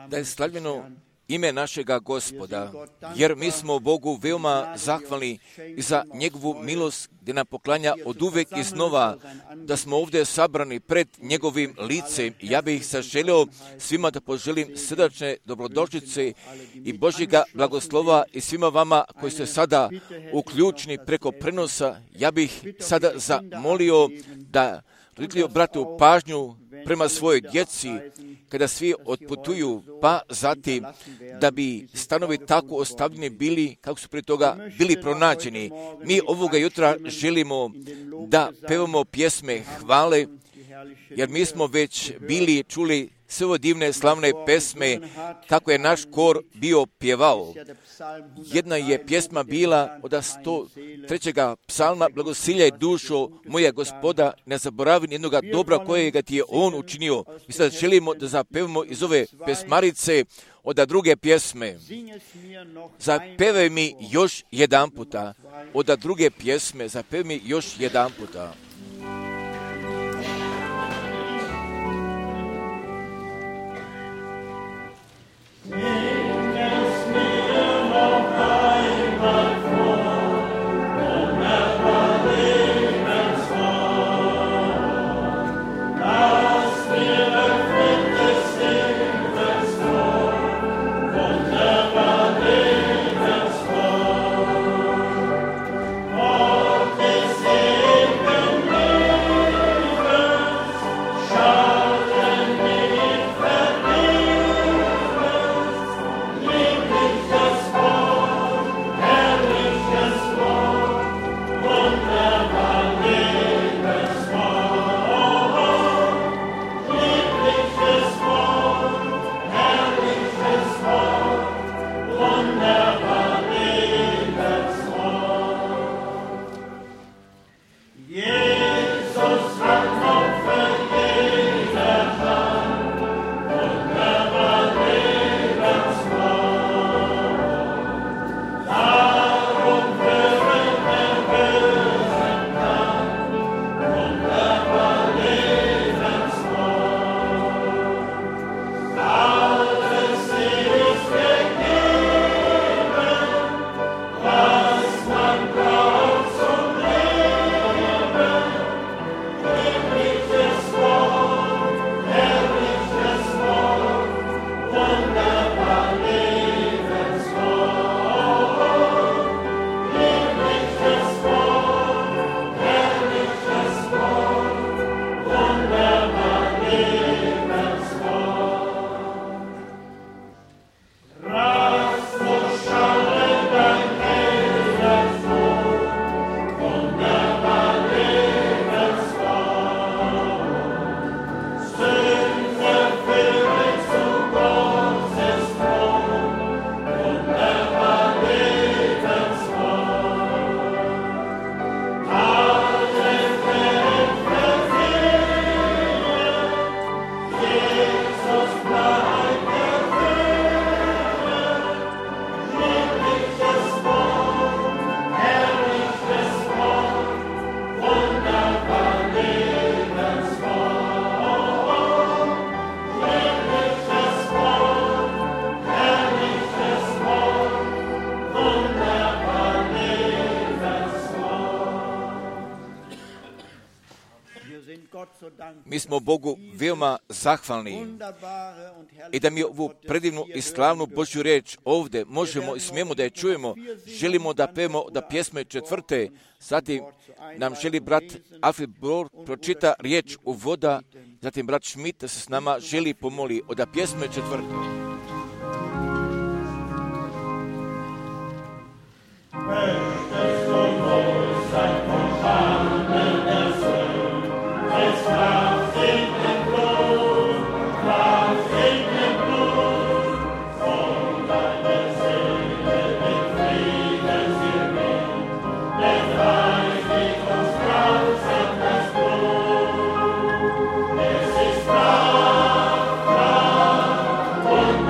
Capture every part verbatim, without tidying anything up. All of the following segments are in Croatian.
Da je slavljeno ime našega Gospoda, jer mi smo Bogu veoma zahvalni za njegovu milost gdje nam poklanja od uvek iznova da smo ovdje sabrani pred njegovim licem. Ja bih se želio svima da poželim srdačne dobrodošlice i Božjega blagoslova i svima vama koji ste sada uključeni preko prenosa. Ja bih sada zamolio da roditelji obrate pažnju prema svojoj djeci kada svi otputuju, pa zatim da bi stanovi tako ostavljeni bili kako su prije toga bili pronađeni. Mi ovoga jutra želimo da pevamo pjesme hvale, jer mi smo već bili čuli sve ove divne slavne pesme kako je naš kor bio pjevao. Jedna je pjesma bila od sto trećega psalma: blagosiljaj dušo moja Gospoda, ne zaboravi jednoga dobra kojega ti je on učinio. Mi sad želimo da zapevamo iz ove pesmarice od druge pjesme. Zapevaj mi još jedan puta. Od druge pjesme zapevaj mi još jedan puta. Mi smo Bogu veoma zahvalni i da mi ovu predivnu i slavnu Božju reč ovdje možemo i smijemo da je čujemo. Želimo da pevamo da pjesme četvrte, zatim nam želi brat Alfred Bor pročita riječ u voda, zatim brat Schmidt da se s nama želi pomoli od pjesme četvrte. One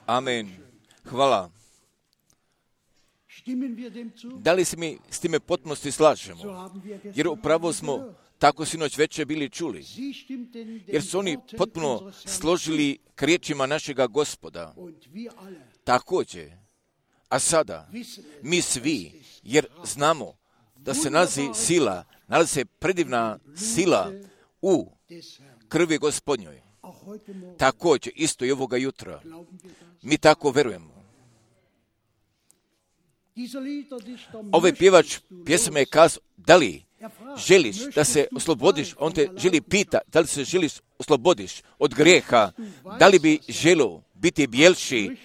Amen. Hvala. Da li se mi s time potpunosti slažemo? Jer upravo smo tako sinoć večer bili čuli. Jer su oni potpuno složili k riječima našega Gospoda. Također. A sada, mi svi, jer znamo da se nalazi sila, nalazi se predivna sila u krvi Gospodnjoj. Također, isto i ovoga jutra. Mi tako verujemo. Ovaj pjevač pjesme je kazao, da li želiš da se oslobodiš, on te želi pita, da li se želiš oslobodiš od grijeha, da li bi želio biti bijelši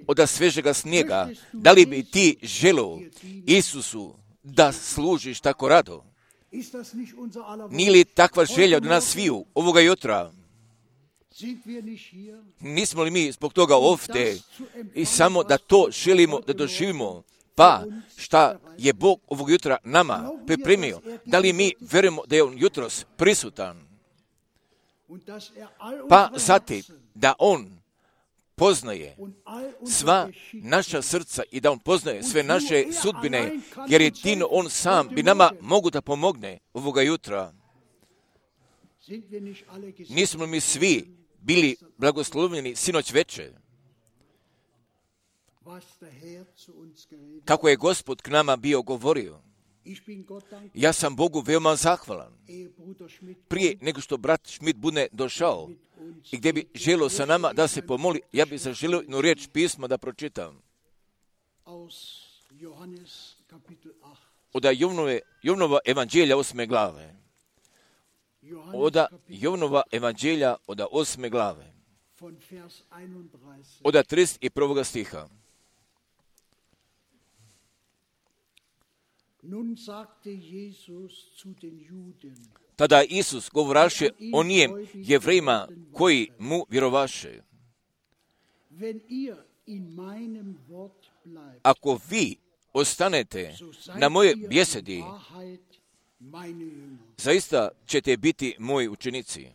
od svežega snijega, da li bi ti želio Isusu da služiš tako rado? Nije li takva želja od nas sviju ovoga jutra? Nismo li mi zbog toga ovdje i samo da to želimo da doživimo? Pa šta je Bog ovog jutra nama pripremio? Da li mi verujemo da je On jutros prisutan? Pa zatim da On poznaje sva naša srca i da On poznaje sve naše sudbine, jer jedino On sam bi nama mogu da pomogne ovoga jutra. Nismo mi svi bili blagoslovljeni sinoć večer? Kako je Gospod k nama bio govorio. Ja sam Bogu veoma zahvalan. Prije nego što brat Schmidt bude došao i gdje bi želio sa nama da se pomoli, ja bih zaželio jednu riječ pisma da pročitam. Od Jovnove, Jovnova evanđelja osme glave. Od Jovnova evanđelja od osme glave. Od trideset prvog stiha. Tada Isus govoraše o nijem Jevrejima koji mu vjerovaše. Ako vi ostanete na moje besedi, zaista ćete biti moji učenici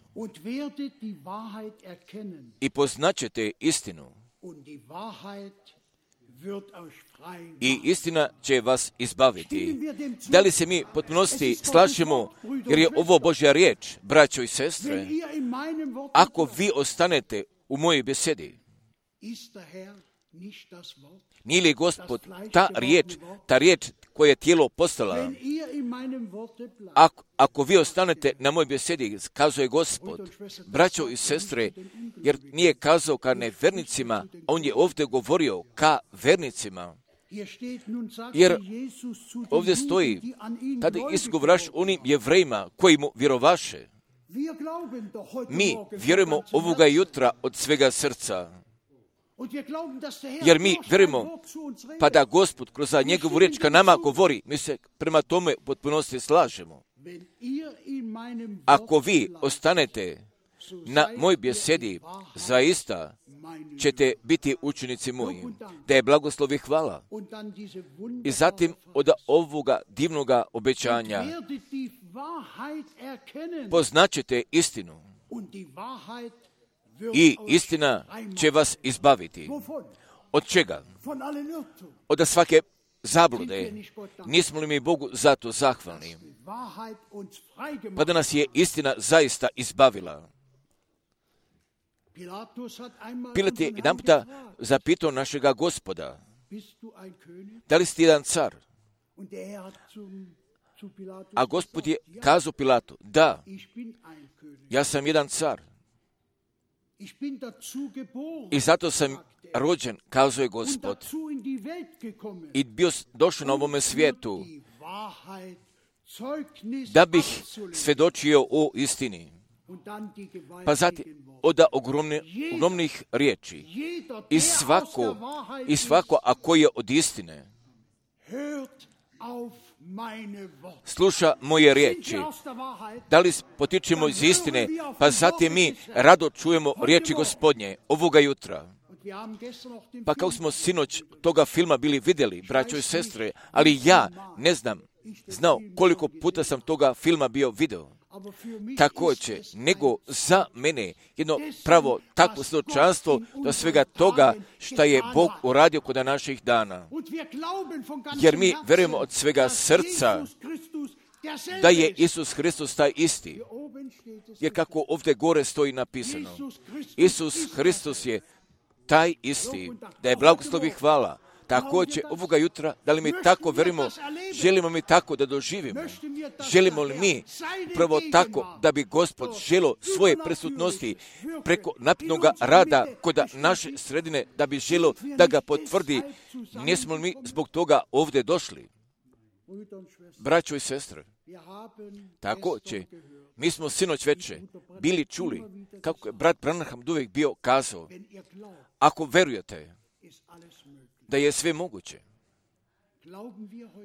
i poznaćete istinu i istina će vas izbaviti. Da li se mi potpunosti slažemo, jer je ovo Božja riječ, braćo i sestre? Ako vi ostanete u mojoj besedi, nije li Gospod ta riječ, ta riječ koja je tijelo postala? Ako, ako vi ostanete na mojoj besedi, kazuje Gospod, braćo i sestre, jer nije kazao ka nevernicima, on je ovdje govorio ka vernicima. Jer ovdje stoji, tada Isus govораš onim Jevrejima koji mu vjerovaše. Mi vjerujemo ovoga jutra od svega srca. Jer mi vjerujemo, pa da Gospod kroz njegovu riječ ka nama govori, mi se prema tome u potpunosti slažemo. Ako vi ostanete na moj besedi, zaista ćete biti učenici moji. Da je blagoslov i hvala. I zatim od ovoga divnoga obećanja poznaćete istinu. I istina će vas izbaviti. Od čega? Od svake zablude. Nismo li mi Bogu zato zahvalni? Pa da nas je istina zaista izbavila. Pilat je jedan puta zapitao našega Gospoda, da li si jedan car? A Gospod je kazao Pilatu, da, ja sam jedan car. I zato sam rođen, kazao je Gospod. I bio došao na ovome svijetu da bih svjedočio o istini. Pa zatim od ogromne, ogromnih riječi. I svako, i svako, a koji je od istine, sluša moje riječi. Da li potičemo iz istine, pa zatim mi rado čujemo riječi Gospodnje ovoga jutra. Pa kao smo sinoć toga filma bili vidjeli, braćo i sestre, ali ja ne znam, znao koliko puta sam toga filma bio video. također, nego za mene jedno pravo takvo svjedočanstvo do svega toga što je Bog uradio kod naših dana. Jer mi vjerujemo od svega srca da je Isus Hristos taj isti. Jer kako ovdje gore stoji napisano, Isus Hristos je taj isti, da je blagoslov i hvala. Također ovoga jutra, da li mi tako verimo, želimo mi tako da doživimo, želimo li mi prvo tako da bi Gospod želo svoje prisutnosti preko naprednog rada kod naše sredine, da bi želo da ga potvrdi, nismo li mi zbog toga ovdje došli? Braćo i sestre, također, mi smo sinoć veče bili čuli, kako je brat Branham uvijek bio kazao, ako verujete da je sve moguće,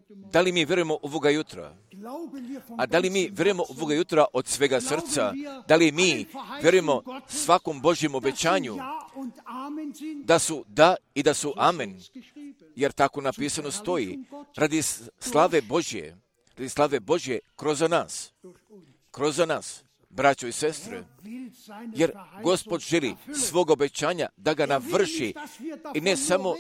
da li mi vjerujemo ovoga jutra? A da li mi vjerujemo ovoga jutra od svega srca? Da li mi vjerujemo svakom Božjem obećanju da su da i da su amen? Jer tako napisano stoji, radi slave Božje, radi slave Božje kroz nas, kroz nas, braćo i sestre, jer Gospod želi svog obećanja da ga navrši i ne samo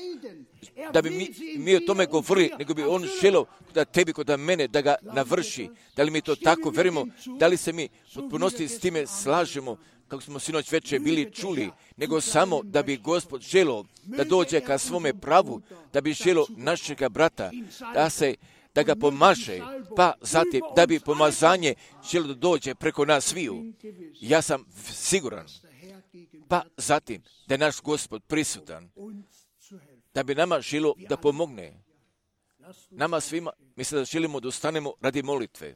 da bi mi, mi o tome govorili, nego bi on želio da tebi kod mene da ga navrši. Da li mi to tako verimo? Da li se mi potpunosti s time slažemo, kako smo sinoć večer bili čuli, nego samo da bi Gospod želio da dođe ka svome pravu, da bi želio našega brata, da se da ga pomaže, pa zatim da bi pomazanje želio da dođe preko nas sviju. Ja sam siguran, pa zatim da je naš Gospod prisutan, da bi nama želio da pomogne. Nama svima, mislim da želimo da ustanemo radi molitve.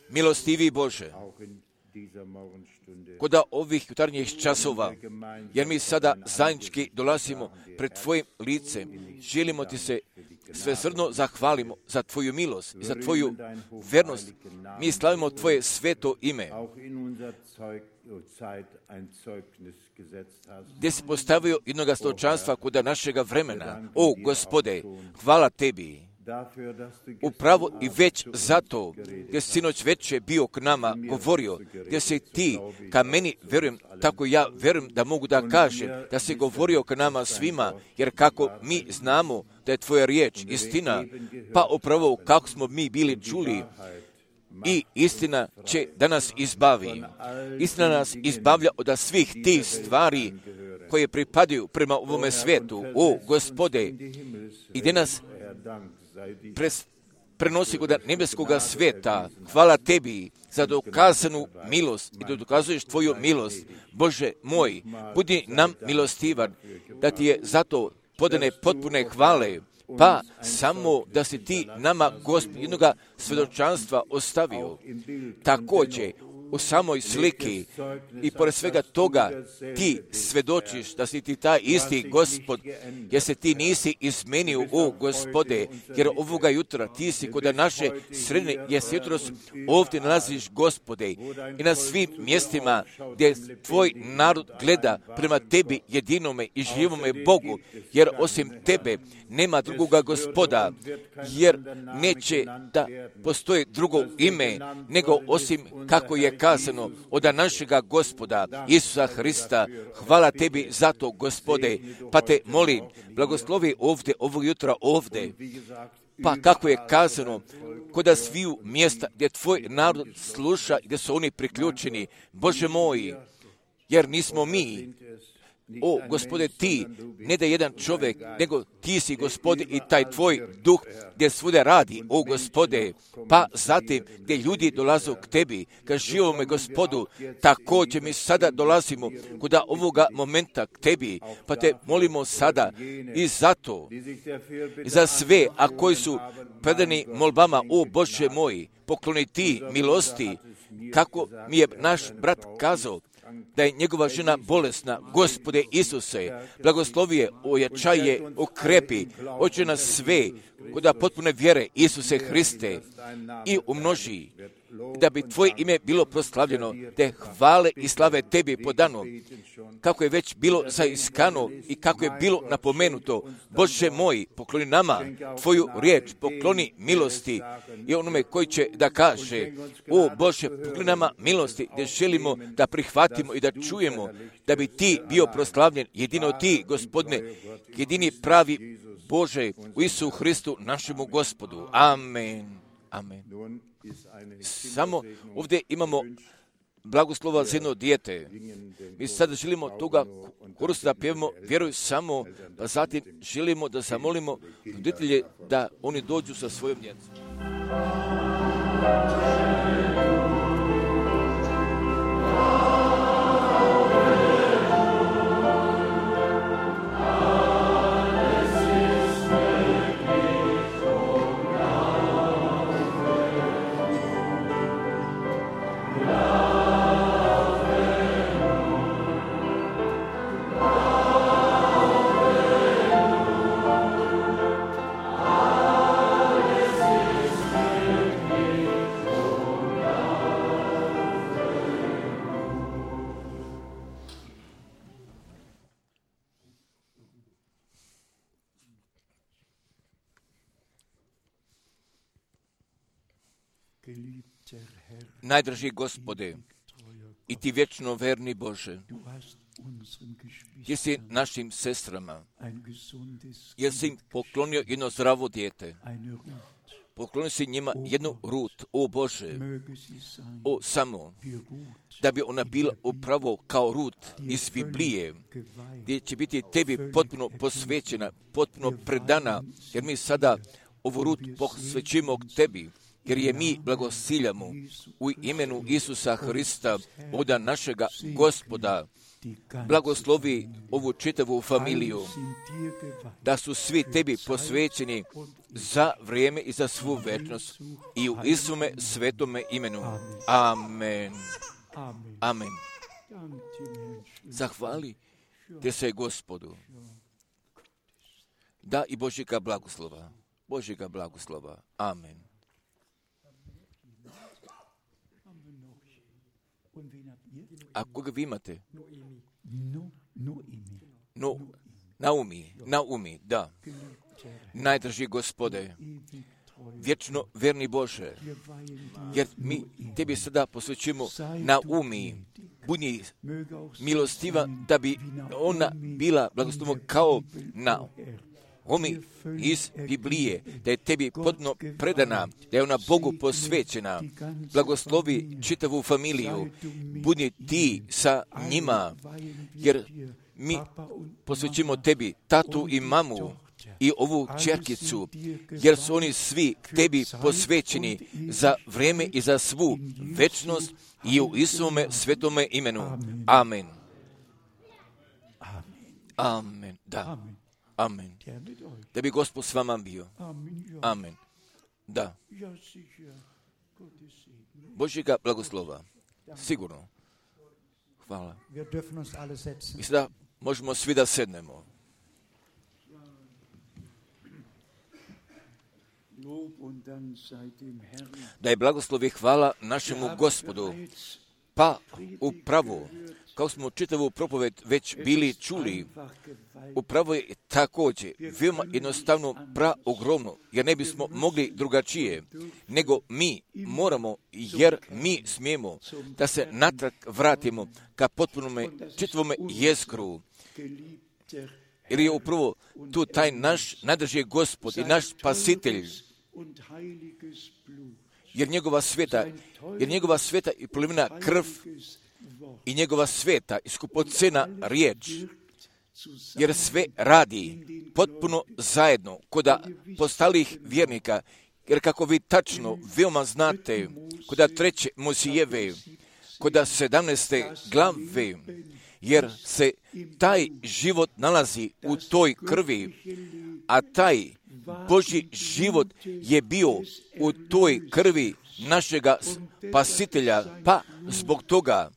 Milostivi Bože, kod ovih jutarnjih časova, jer mi sada zajednički dolazimo pred Tvojim licem, želimo Ti se svesrdno zahvalimo za Tvoju milost i za Tvoju vernost. Mi slavimo Tvoje sveto ime, gdje si postavio jednoga stočanstva kod našega vremena. O, Gospode, hvala Tebi. Upravo i već zato, gdje si sinoć večer bio k nama govorio, gdje si Ti ka meni, verujem, tako ja verujem da mogu da kažem, da si govorio k nama svima, jer kako mi znamo da je Tvoja riječ istina, pa upravo kako smo mi bili čuli, i istina će da nas izbavi. Istina nas izbavlja od svih tih stvari koje pripadaju prema ovome svijetu. O, Gospode, i gdje nas pres, prenosi kod nebeskoga svijeta. Hvala Tebi za dokazanu milost i da dokazuješ Tvoju milost. Bože moj, budi nam milostivan, da Ti je zato podane potpune hvale, pa samo da si Ti nama, Gospod, jednoga svjedočanstva ostavio. Također, u samoj sliki i pored svega toga Ti svjedočiš da si Ti taj isti Gospod, jer se Ti nisi izmenio, o Gospode, jer ovoga jutra Ti si kod naše sredine, jer se jutros ovdje nalaziš, Gospode, i na svim mjestima gdje Tvoj narod gleda prema Tebi jedinome i živome Bogu, jer osim Tebe nema drugoga Gospoda, jer neće da postoji drugo ime, nego osim kako je kazano od našega Gospoda Isusa Hrista. Hvala Tebi za to, Gospode, pa Te molim, blagoslovi ovdje, ovog jutra ovdje, pa kako je kazano, kod sviju mjesta gdje Tvoj narod sluša, gdje su oni priključeni, Bože moj, jer nismo mi. O, Gospode, Ti, ne da jedan čovjek, nego Ti si, Gospode, i taj Tvoj duh gdje svuda radi, o Gospode, pa zatim gdje ljudi dolaze k Tebi, ka živome Gospodu, također mi sada dolazimo kod ovoga momenta k Tebi, pa Te molimo sada i zato, i za sve, a koji su predani molbama, o Bože moj, pokloni Ti milosti, kako mi je naš brat kazao, da je njegova žena bolesna. Gospode Isuse, blagoslovi je, ojačaj je, okrepi, oče nas sve, kod potpune vjere Isuse Hriste, i umnoži, da bi Tvoje ime bilo proslavljeno, te hvale i slave Tebi podano, kako je već bilo zaiskano i kako je bilo napomenuto. Bože moj, pokloni nama Tvoju riječ, pokloni milosti i onome koji će da kaže, o Bože, pokloni nama milosti, gdje želimo da prihvatimo i da čujemo, da bi Ti bio proslavljen, jedino Ti, Gospodine, jedini pravi Bože, u Isu Hristu, našemu Gospodu. Amen. Amen. Samo ovdje imamo blagoslova za jedno dijete. Mi sada želimo toga kursa da pjevamo, vjeruj samo, pa zatim želimo da zamolimo roditelje da oni dođu sa svojom djecom. Najdraži Gospode, i Ti vječno verni Bože, jer si našim sestrama, jer si im poklonio jedno zdravo dijete, poklonio si njima jednu Rut, o Bože, o samo, da bi ona bila upravo kao Rut iz Biblije, gdje će biti Tebi potpuno posvećena, potpuno predana, jer mi sada ovu Rut posvećujemo Tebi, jer je mi blagosiljamo u imenu Isusa Hrista, oda našega Gospoda. Blagoslovi ovu čitavu familiju, da su svi Tebi posvećeni za vrijeme i za svu večnost i u Isume svetome imenu. Amen. Amen. Zahvali te se Gospodu. Da i Božjega blagoslova. Božjega blagoslova. Amen. A koga vi imate? No, Naumi, Naumi, da. Najdraži Gospode, vječno verni Bože, jer mi Tebi sada posvećujemo Naumi, budi milostiva da bi ona bila blagoslovna kao Naomi iz Biblije, da je Tebi potpuno predana, da je ona Bogu posvećena. Blagoslovi čitavu familiju, budi Ti sa njima, jer mi posvećujemo Tebi tatu i mamu i ovu čerkicu, jer su oni svi Tebi posvećeni za vrijeme i za svu večnost i u Isuvome svetome imenu. Amen. Amen. Da. Amen. Da bi Gospod s vama bio. Amen. Da. Božjega blagoslova. Sigurno. Hvala. I sada možemo svi da sednemo. Da je blagoslov i hvala našemu Gospodu. Pa upravo, kao smo čitavu propoved već bili čuli, upravo je također veoma jednostavno praogromno, jer ne bismo mogli drugačije, nego mi moramo, jer mi smijemo da se natrag vratimo ka potpunome čitavome jezgru, jer je upravo tu taj naš najdraži Gospod i naš Spasitelj, jer njegova sveta, jer njegova sveta i prolivena krv i njegova sveta i skupocena riječ, jer sve radi potpuno zajedno koda postalih vjernika, jer kako vi tačno veoma znate, koda treće Mojsijeve, koda sedamnaeste glave, jer se taj život nalazi u toj krvi, a taj Božji život je bio u toj krvi našega Spasitelja, pa zbog toga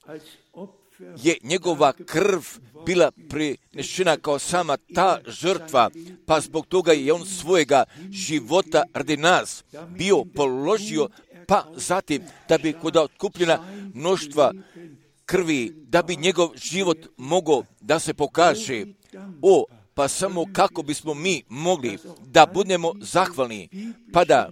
je njegova krv bila prinešena kao sama ta žrtva, pa zbog toga je on svojega života radi nas bio položio, pa zatim da bi kod otkupljena mnoštva krvi, da bi njegov život mogao da se pokaže. O, pa samo kako bismo mi mogli da budemo zahvalni, pa da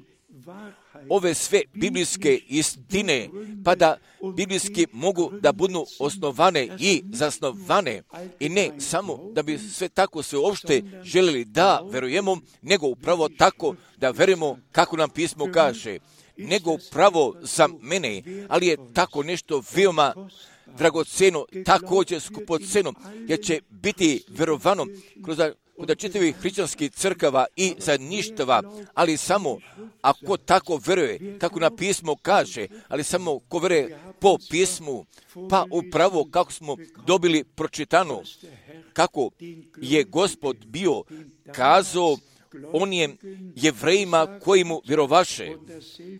ove sve biblijske istine, pa da biblijski mogu da budu osnovane i zasnovane, i ne samo da bi sve tako sve uopšte željeli da verujemo, nego upravo tako da verujemo kako nam pismo kaže, nego upravo za mene, ali je tako nešto veoma dragoceno, također skupoceno, jer će biti verovano kroz kod čitavih hrišćanskih crkava i zajedništava, ali samo ako tako veruje, kako na pismo kaže, ali samo ko veruje po pismu, pa upravo kako smo dobili pročitano, kako je Gospod bio kazao onim Jevrejima koji mu vjerovaše,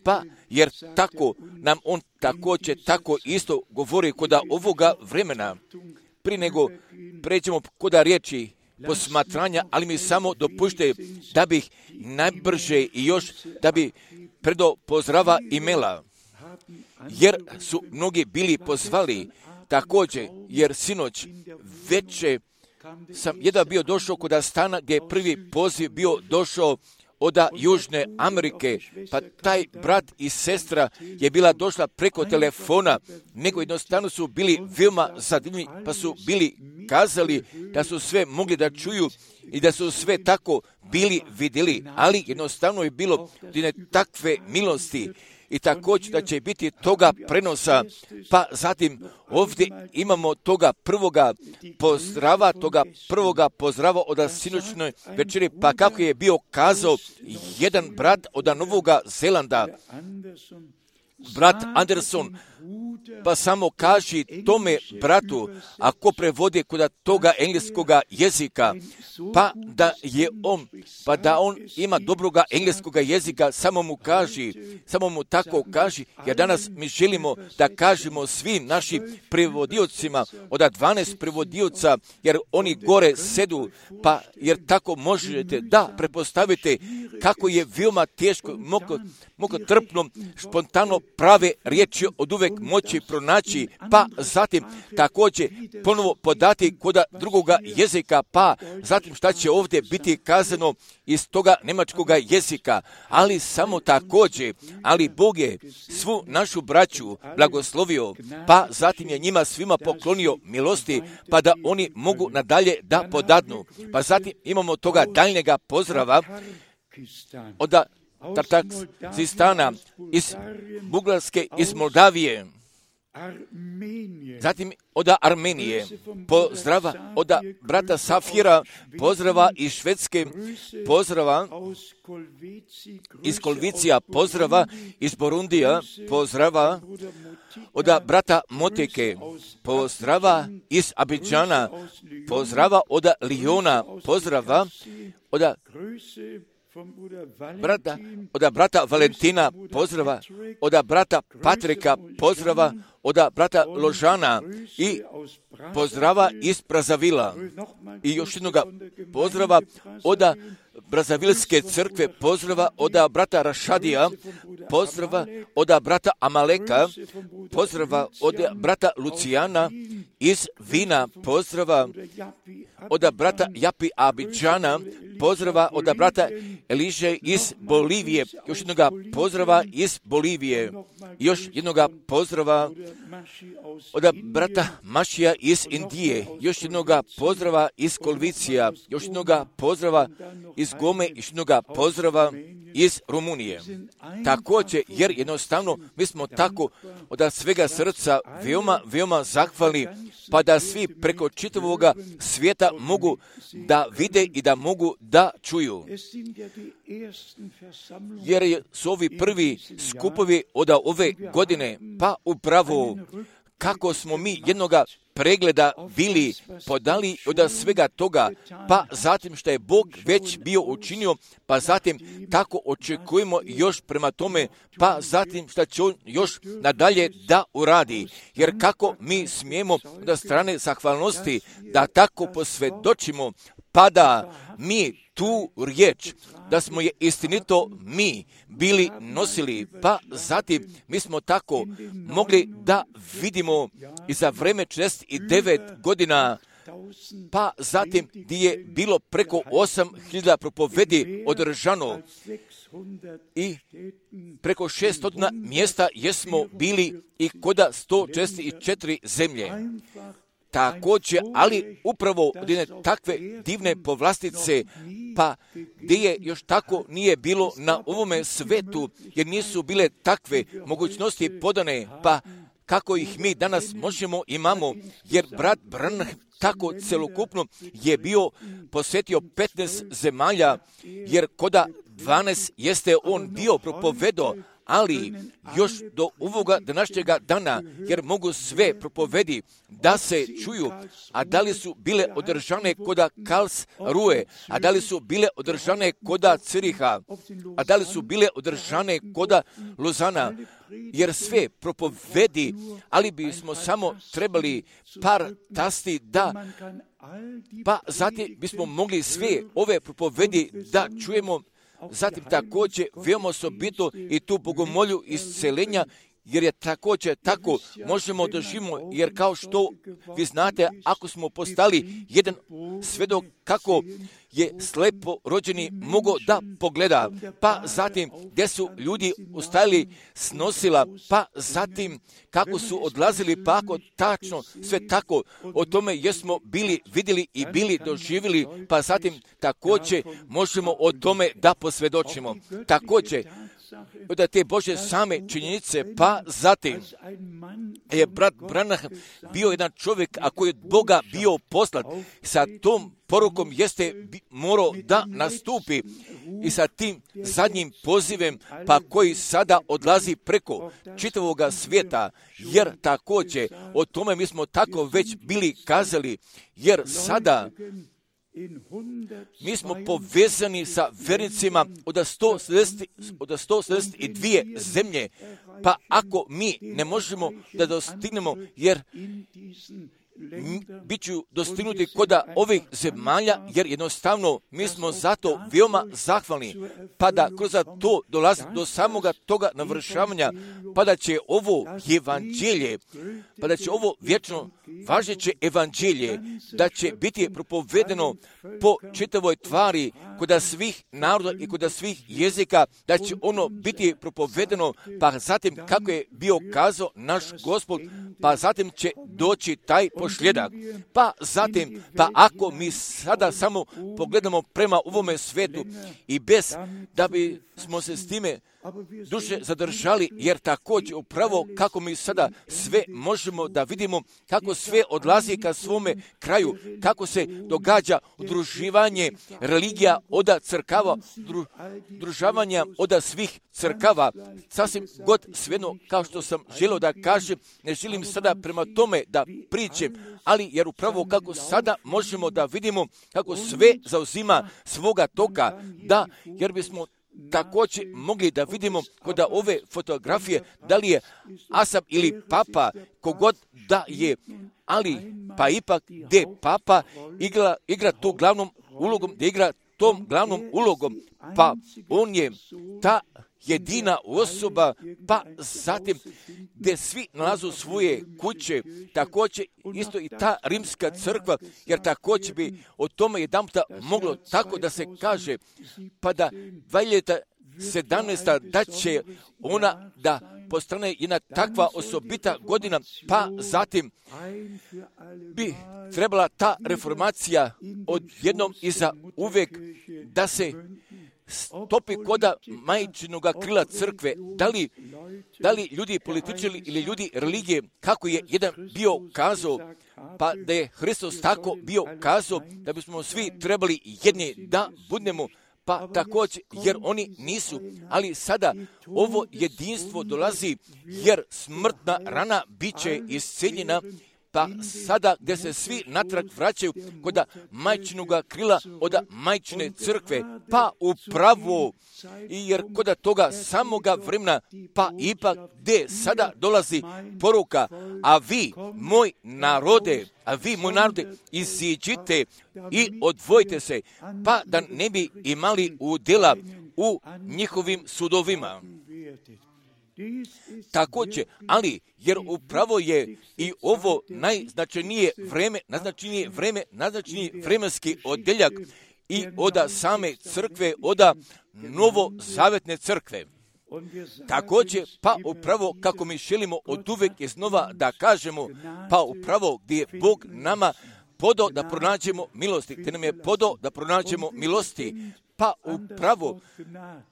pa jer tako nam on također tako isto govori kod ovoga vremena. Prije nego pređemo kod riječi posmatranja, ali mi samo dopušte da bih najbrže i još da bi predo pozdrava imela, jer su mnogi bili pozvali također, jer sinoć veče sam jedan bio došao kod stana gdje je prvi poziv bio došao od Južne Amerike, pa taj brat i sestra je bila došla preko telefona, nego jednostavno su bili veoma zadivljeni, pa su bili kazali da su sve mogli da čuju i da su sve tako bili vidjeli, ali jednostavno je bilo jedne takve milosti i također da će biti toga prenosa, pa zatim ovdje imamo toga prvoga pozdrava, toga prvoga pozdrava od sinoćnoj večeri, pa kako je bio kazao jedan brat od Novoga Zelanda, brat Anderson, pa samo kaži tome bratu, ako prevodi kod toga engleskoga jezika, pa da je on, pa da on ima dobroga engleskoga jezika, samo mu kaži, samo mu tako kaži, jer danas mi želimo da kažemo svim našim prevodiocima, od dvanaest prevodioca, jer oni gore sedu, pa jer tako možete da prepostavite kako je veoma teško, mogo, mogo trpno, spontano prave riječi od uvek moći pronaći, pa zatim također ponovo podati kod drugoga jezika, pa zatim šta će ovdje biti kazano iz toga njemačkoga jezika, ali samo također, ali Bog je svu našu braću blagoslovio, pa zatim je njima svima poklonio milosti, pa da oni mogu nadalje da podadnu. Pa zatim imamo toga daljnjega pozdrava od Tartakstana, iz Bugarske, iz Moldavije, zatim od Armenije, pozdrava od brata Safira, pozdrava iz Švedske, pozdrava iz Kolvicija, pozdrava iz Borundija, pozdrava od brata Moteke, pozdrava iz Abidžana, pozdrava od Liona, pozdrava od Brata, od brata Valentina pozdrava, od brata Patrika pozdrava, od brata Ložana i pozdrava iz Brazavila. I još jednoga pozdrava od Brazavilske crkve, pozdrava od brata Rašadija, pozdrava od brata Amaleka, pozdrava od brata Lucijana iz Vina, pozdrava od brata Japi Abidžana, pozdrava od brata Eliže iz Bolivije, još jednoga pozdrava iz Bolivije, još jednoga pozdrava od brata Mašija iz Indije, još jednoga pozdrava iz Kolvicija, još jednoga pozdrava iz Gome, još jednoga pozdrava iz Rumunije. Također, jer jednostavno mi smo tako od svega srca veoma, veoma zahvalni, pa da svi preko čitavoga svijeta mogu da vide i da mogu da čuju. Jer su ovi prvi skupovi od ove godine, pa upravo kako smo mi jednoga pregleda bili podali od svega toga, pa zatim što je Bog već bio učinio, pa zatim tako očekujemo još prema tome, pa zatim što će on još nadalje da uradi. Jer kako mi smijemo od strane zahvalnosti da tako posvjedočimo, pa da mi tu riječ, da smo je istinito mi bili nosili, pa zatim mi smo tako mogli da vidimo i za vreme četrdeset devet godina, pa zatim gdje je bilo preko osam hiljada propovedi održano i preko šesto mjesta jesmo bili i koda sto četrdeset četiri zemlje. Također, ali upravo od jedne takve divne povlastice, pa gdje je još tako nije bilo na ovome svetu, jer nisu bile takve mogućnosti podane, pa kako ih mi danas možemo imamo, jer brat Branham tako celokupno je bio posjetio petnaest zemalja, jer koda dvanaest jeste on bio propovedo, ali još do ovoga današnjega dana, jer mogu sve propovedi da se čuju, a da li su bile održane koda Karlsruhe, a da li su bile održane koda Ciriha, a da li su bile održane koda Lozana, jer sve propovedi, ali bismo samo trebali par tasti da, pa zatim bismo mogli sve ove propovedi da čujemo. Zatim također veoma osobito i tu bogomolju iscelenja, jer je također tako možemo doživimo, jer kao što vi znate, ako smo postali jedan svedok kako je slepo rođeni mogao da pogleda, pa zatim gdje su ljudi ustajali snosila, pa zatim kako su odlazili, pa ako tačno sve tako, o tome jesmo bili vidjeli i bili doživjeli, pa zatim također možemo o tome da posvjedočimo. Također, da te Bože same činjenice, pa zatim je brat Branham bio jedan čovjek, a koji je od Boga bio poslat, sa tom porukom jeste morao da nastupi i sa tim zadnjim pozivem, pa koji sada odlazi preko čitavoga svijeta, jer također o tome mi smo tako već bili kazali, jer sada mi smo povezani sa vernicima od sto sedamdeset dvije zemlje, pa ako mi ne možemo da dostignemo, jer bit ću dostignuti koda ovih zemalja, jer jednostavno mi smo zato veoma zahvalni, pa da kroz to dolazi do samoga toga navršavanja, pa da će ovo evanđelje, pa da će ovo vječno važeće evanđelje, da će biti propovedeno po čitavoj tvari, koda svih naroda i koda svih jezika, da će ono biti propovedeno, pa zatim kako je bio kazao naš Gospod, pa zatim će doći taj pošljedak. Pa zatim, pa ako mi sada samo pogledamo prema ovome svetu i bez da bi smo se s time duše zadržali, jer također upravo kako mi sada sve možemo da vidimo, kako sve odlazi ka svome kraju, kako se događa udruživanje religija oda crkava, dru, družavanja oda svih crkava, sasvim god svejedno, kao što sam želio da kažem, ne želim sada prema tome da pričem, ali jer upravo kako sada možemo da vidimo kako sve zauzima svoga toka, da, jer bismo također mogli da vidimo kod ove fotografije da li je Asap ili Papa, kogod da je, ali pa ipak gdje Papa igra, igra tu glavnom ulogom, da igra tom glavnom ulogom, pa on je ta jedina osoba, pa zatim gdje svi nalazu svoje kuće, također isto i ta rimska crkva, jer također bi o tome jedanputa moglo tako da se kaže, pa da dva hiljade sedamnaesta da će ona da postane jedna takva osobita godina, pa zatim bi trebala ta reformacija odjednom i za uvijek da se stopi koda majčinoga krila crkve, da li, da li ljudi političari ili ljudi religije, kako je jedan bio kazao, pa da je Hristos tako bio kazao, da bismo svi trebali jedni da budemo, pa također, jer oni nisu, ali sada ovo jedinstvo dolazi, jer smrtna rana bit će iscijeljena, pa sada gdje se svi natrag vraćaju kod majčinoga krila od majčine crkve, pa upravo, jer kod toga samoga vremena, pa ipak gdje sada dolazi poruka, a vi, moj narode, a vi, moj narode, iziđite i odvojite se, pa da ne bi imali udjela u njihovim sudovima. Također, ali jer upravo je i ovo najznačajnije vreme, najznačajnije vreme, najznačajniji vremenski odjeljak i od same crkve, od novozavetne crkve. Također, pa upravo kako mi želimo od uvek iznova da kažemo, pa upravo gdje je Bog nama podao da pronađemo milosti, te nam je podao da pronađemo milosti, pa upravo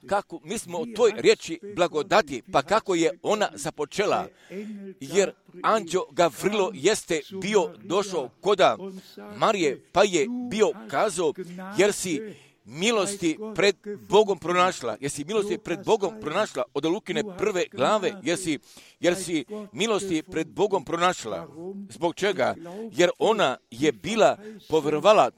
kako mi smo o toj riječi blagodati, pa kako je ona započela, jer anđeo Gavrilo jeste bio došao koda Marije, pa je bio kazao, jer si milosti pred Bogom pronašla, jer si milosti pred Bogom pronašla od Lukine prve glave, jer si, jer si milosti pred Bogom pronašla. Zbog čega? Jer ona je bila povjerovala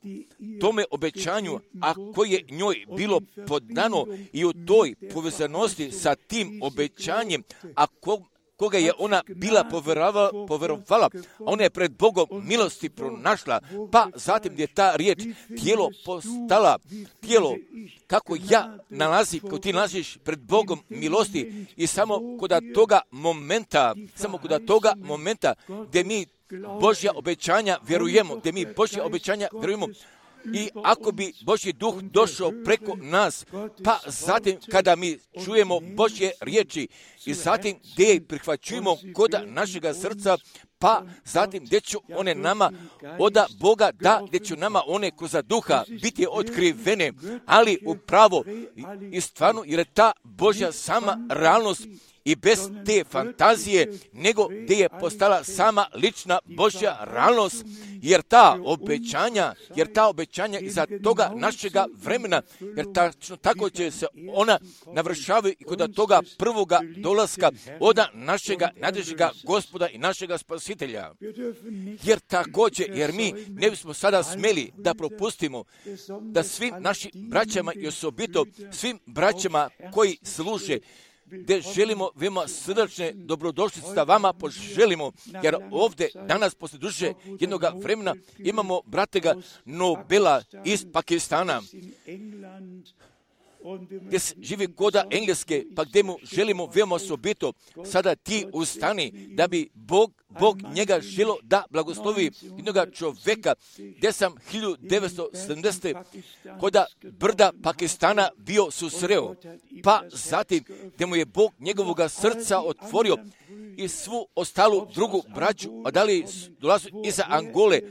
tome obećanju, a koje je njoj bilo podano i u toj povezanosti sa tim obećanjem, a ko, koga je ona bila povjerovala, povjerovala, ona je pred Bogom milosti pronašla, pa zatim je ta riječ tijelo postala, tijelo kako ja nalazi, kako ti nalaziš pred Bogom milosti i samo kod toga momenta, samo kod toga momenta gdje mi Božja obećanja vjerujemo, gdje mi Božja obećanja vjerujemo, i ako bi Božji duh došao preko nas, pa zatim kada mi čujemo Božje riječi i zatim gdje ih prihvaćujemo kod našega srca, pa zatim gdje će one nama od Boga, da gdje će nama one kroz duha biti otkrivene, ali upravo i stvarno, jer je ta Božja sama realnost i bez te fantazije, nego gdje je postala sama lična Božja realnost, jer ta obećanja, jer ta obećanja iza toga našega vremena, jer tačno tako će se ona navršavaju i kod toga prvoga dolaska od našega nadrežega Gospoda i našega Spasitelja. Jer također, jer mi ne bismo sada smjeli da propustimo da svim našim braćama i osobito svim braćama koji služe, gdje želimo veoma srdačne dobrodošlice da vama poželimo, jer ovdje danas poslije duže jednog vremena imamo bratega Nobela iz Pakistana, gdje živi koda Engleske, pa gdje mu želimo veoma osobito sada ti ustani da bi Bog, Bog njega želo da blagoslovi jednog čovjeka, gdje sam hiljadu devetsto sedamdesete koda brda Pakistana bio susreo, pa zatim gdje mu je Bog njegovoga srca otvorio i svu ostalu drugu braću, a da li dolazi iza Angole,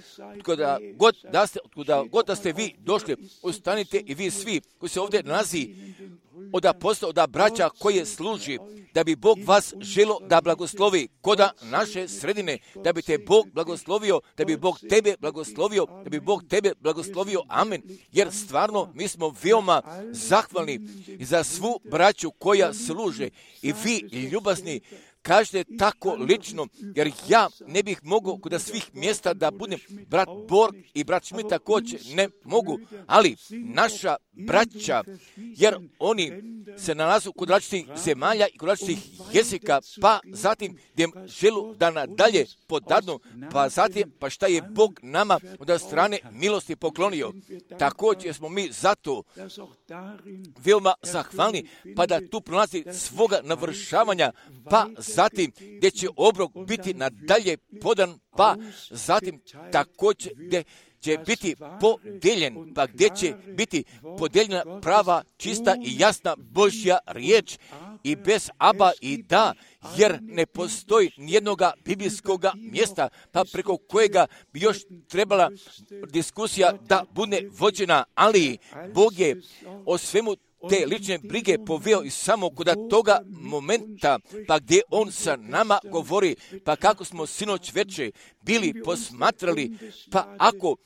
kuda god da ste, kuda god da ste vi došli, ustanite i vi svi koji se ovdje nalazi od apostola, od braća koje služi, da bi Bog vas želo da blagoslovi koda naše sredine, da bi te Bog blagoslovio, da bi Bog tebe blagoslovio, da bi Bog tebe blagoslovio, amen, jer stvarno mi smo veoma zahvalni za svu braću koja služe i vi ljubazni kažete tako lično, jer ja ne bih mogao kod svih mjesta da budem brat Borg i brat Schmidt također, ne mogu, ali naša braća, jer oni se nalazu kod različitih zemalja i kod različitih jezika, pa zatim gdje želu da nadalje podadnu, pa zatim pa šta je Bog nama od strane milosti poklonio. Također smo mi zato veoma zahvalni, pa da tu pronazi svoga navršavanja, pa zatim gdje će obrok biti nadalje podan, pa zatim također gdje će biti podijeljen, pa gdje će biti podijeljena prava, čista i jasna Božja riječ i bez aba i da, jer ne postoji nijednoga biblijskoga mjesta, pa preko kojega bi još trebala diskusija da bude vođena, ali Bog je o svemu te lične brige poveo i samo kod toga momenta, pa gdje on sa nama govori, pa kako smo sinoć veče bili posmatrali, pa ako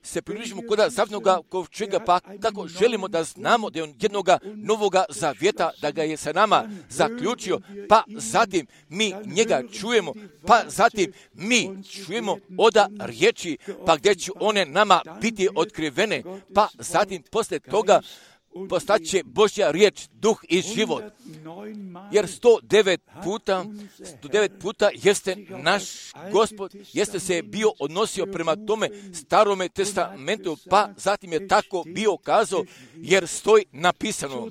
se približimo kod zavjetnoga kovčega, pa kako želimo da znamo da je on jednoga novoga zavjeta, da ga je sa nama zaključio, pa zatim mi njega čujemo, pa zatim mi čujemo oda riječi, pa gdje će one nama biti otkrivene, pa zatim poslije toga postaće Božja riječ, duh i život. Jer sto devet puta, sto devet puta jeste naš Gospod, jeste se bio odnosio prema tome starome testamentu, pa zatim je tako bio kazao, jer stoji napisano,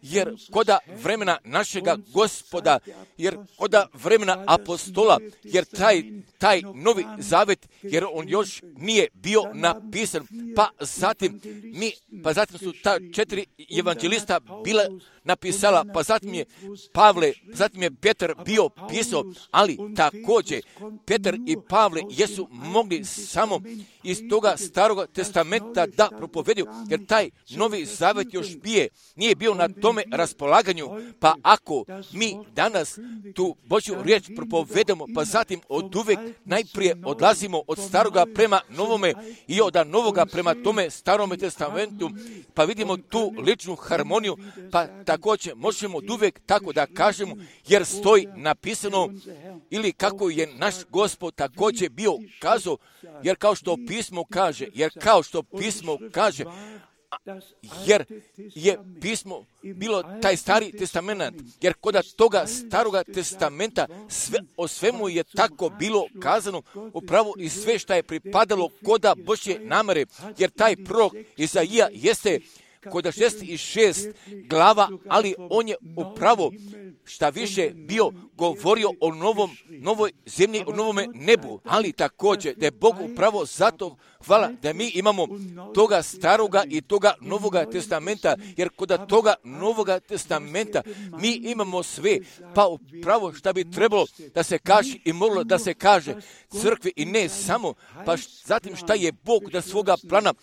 jer koda vremena našega Gospoda, jer koda vremena apostola, jer taj, taj novi zavet, jer on još nije bio napisan, pa zatim mi, pa zatim su ta četiri evanđelista bila napisala, pa zatim je Pavle, zatim je Petar bio pisao, ali također Petar i Pavle jesu mogli samo iz toga starog testamenta da propovediju, jer taj novi zavet još bije, nije bio na tome raspolaganju, pa ako mi danas tu Božju riječ propovedemo, pa zatim od uvek najprije odlazimo od staroga prema novome i od novoga prema tome starome testamentu, pa vidimo tu ličnu harmoniju, pa također možemo od uvek tako da kažemo, jer stoji napisano, ili kako je naš Gospod također bio kazao, jer kao što pismo kaže, jer kao što pismo kaže, jer je pismo bilo taj stari testament, jer kod toga staroga testamenta sve, o svemu je tako bilo kazano upravo i sve što je pripadalo koda Božje namere, jer taj prorok Izaija jeste kod šezdeset šest glava, ali on je upravo šta više bio govorio o novom, novoj zemlji, o novome nebu, ali također da je Bog upravo zato hvala da mi imamo toga staroga i toga novoga testamenta, jer kod toga novoga testamenta mi imamo sve, pa upravo šta bi trebalo da se kaže i moglo da se kaže crkvi i ne samo, pa zatim šta je Bog da svoga plana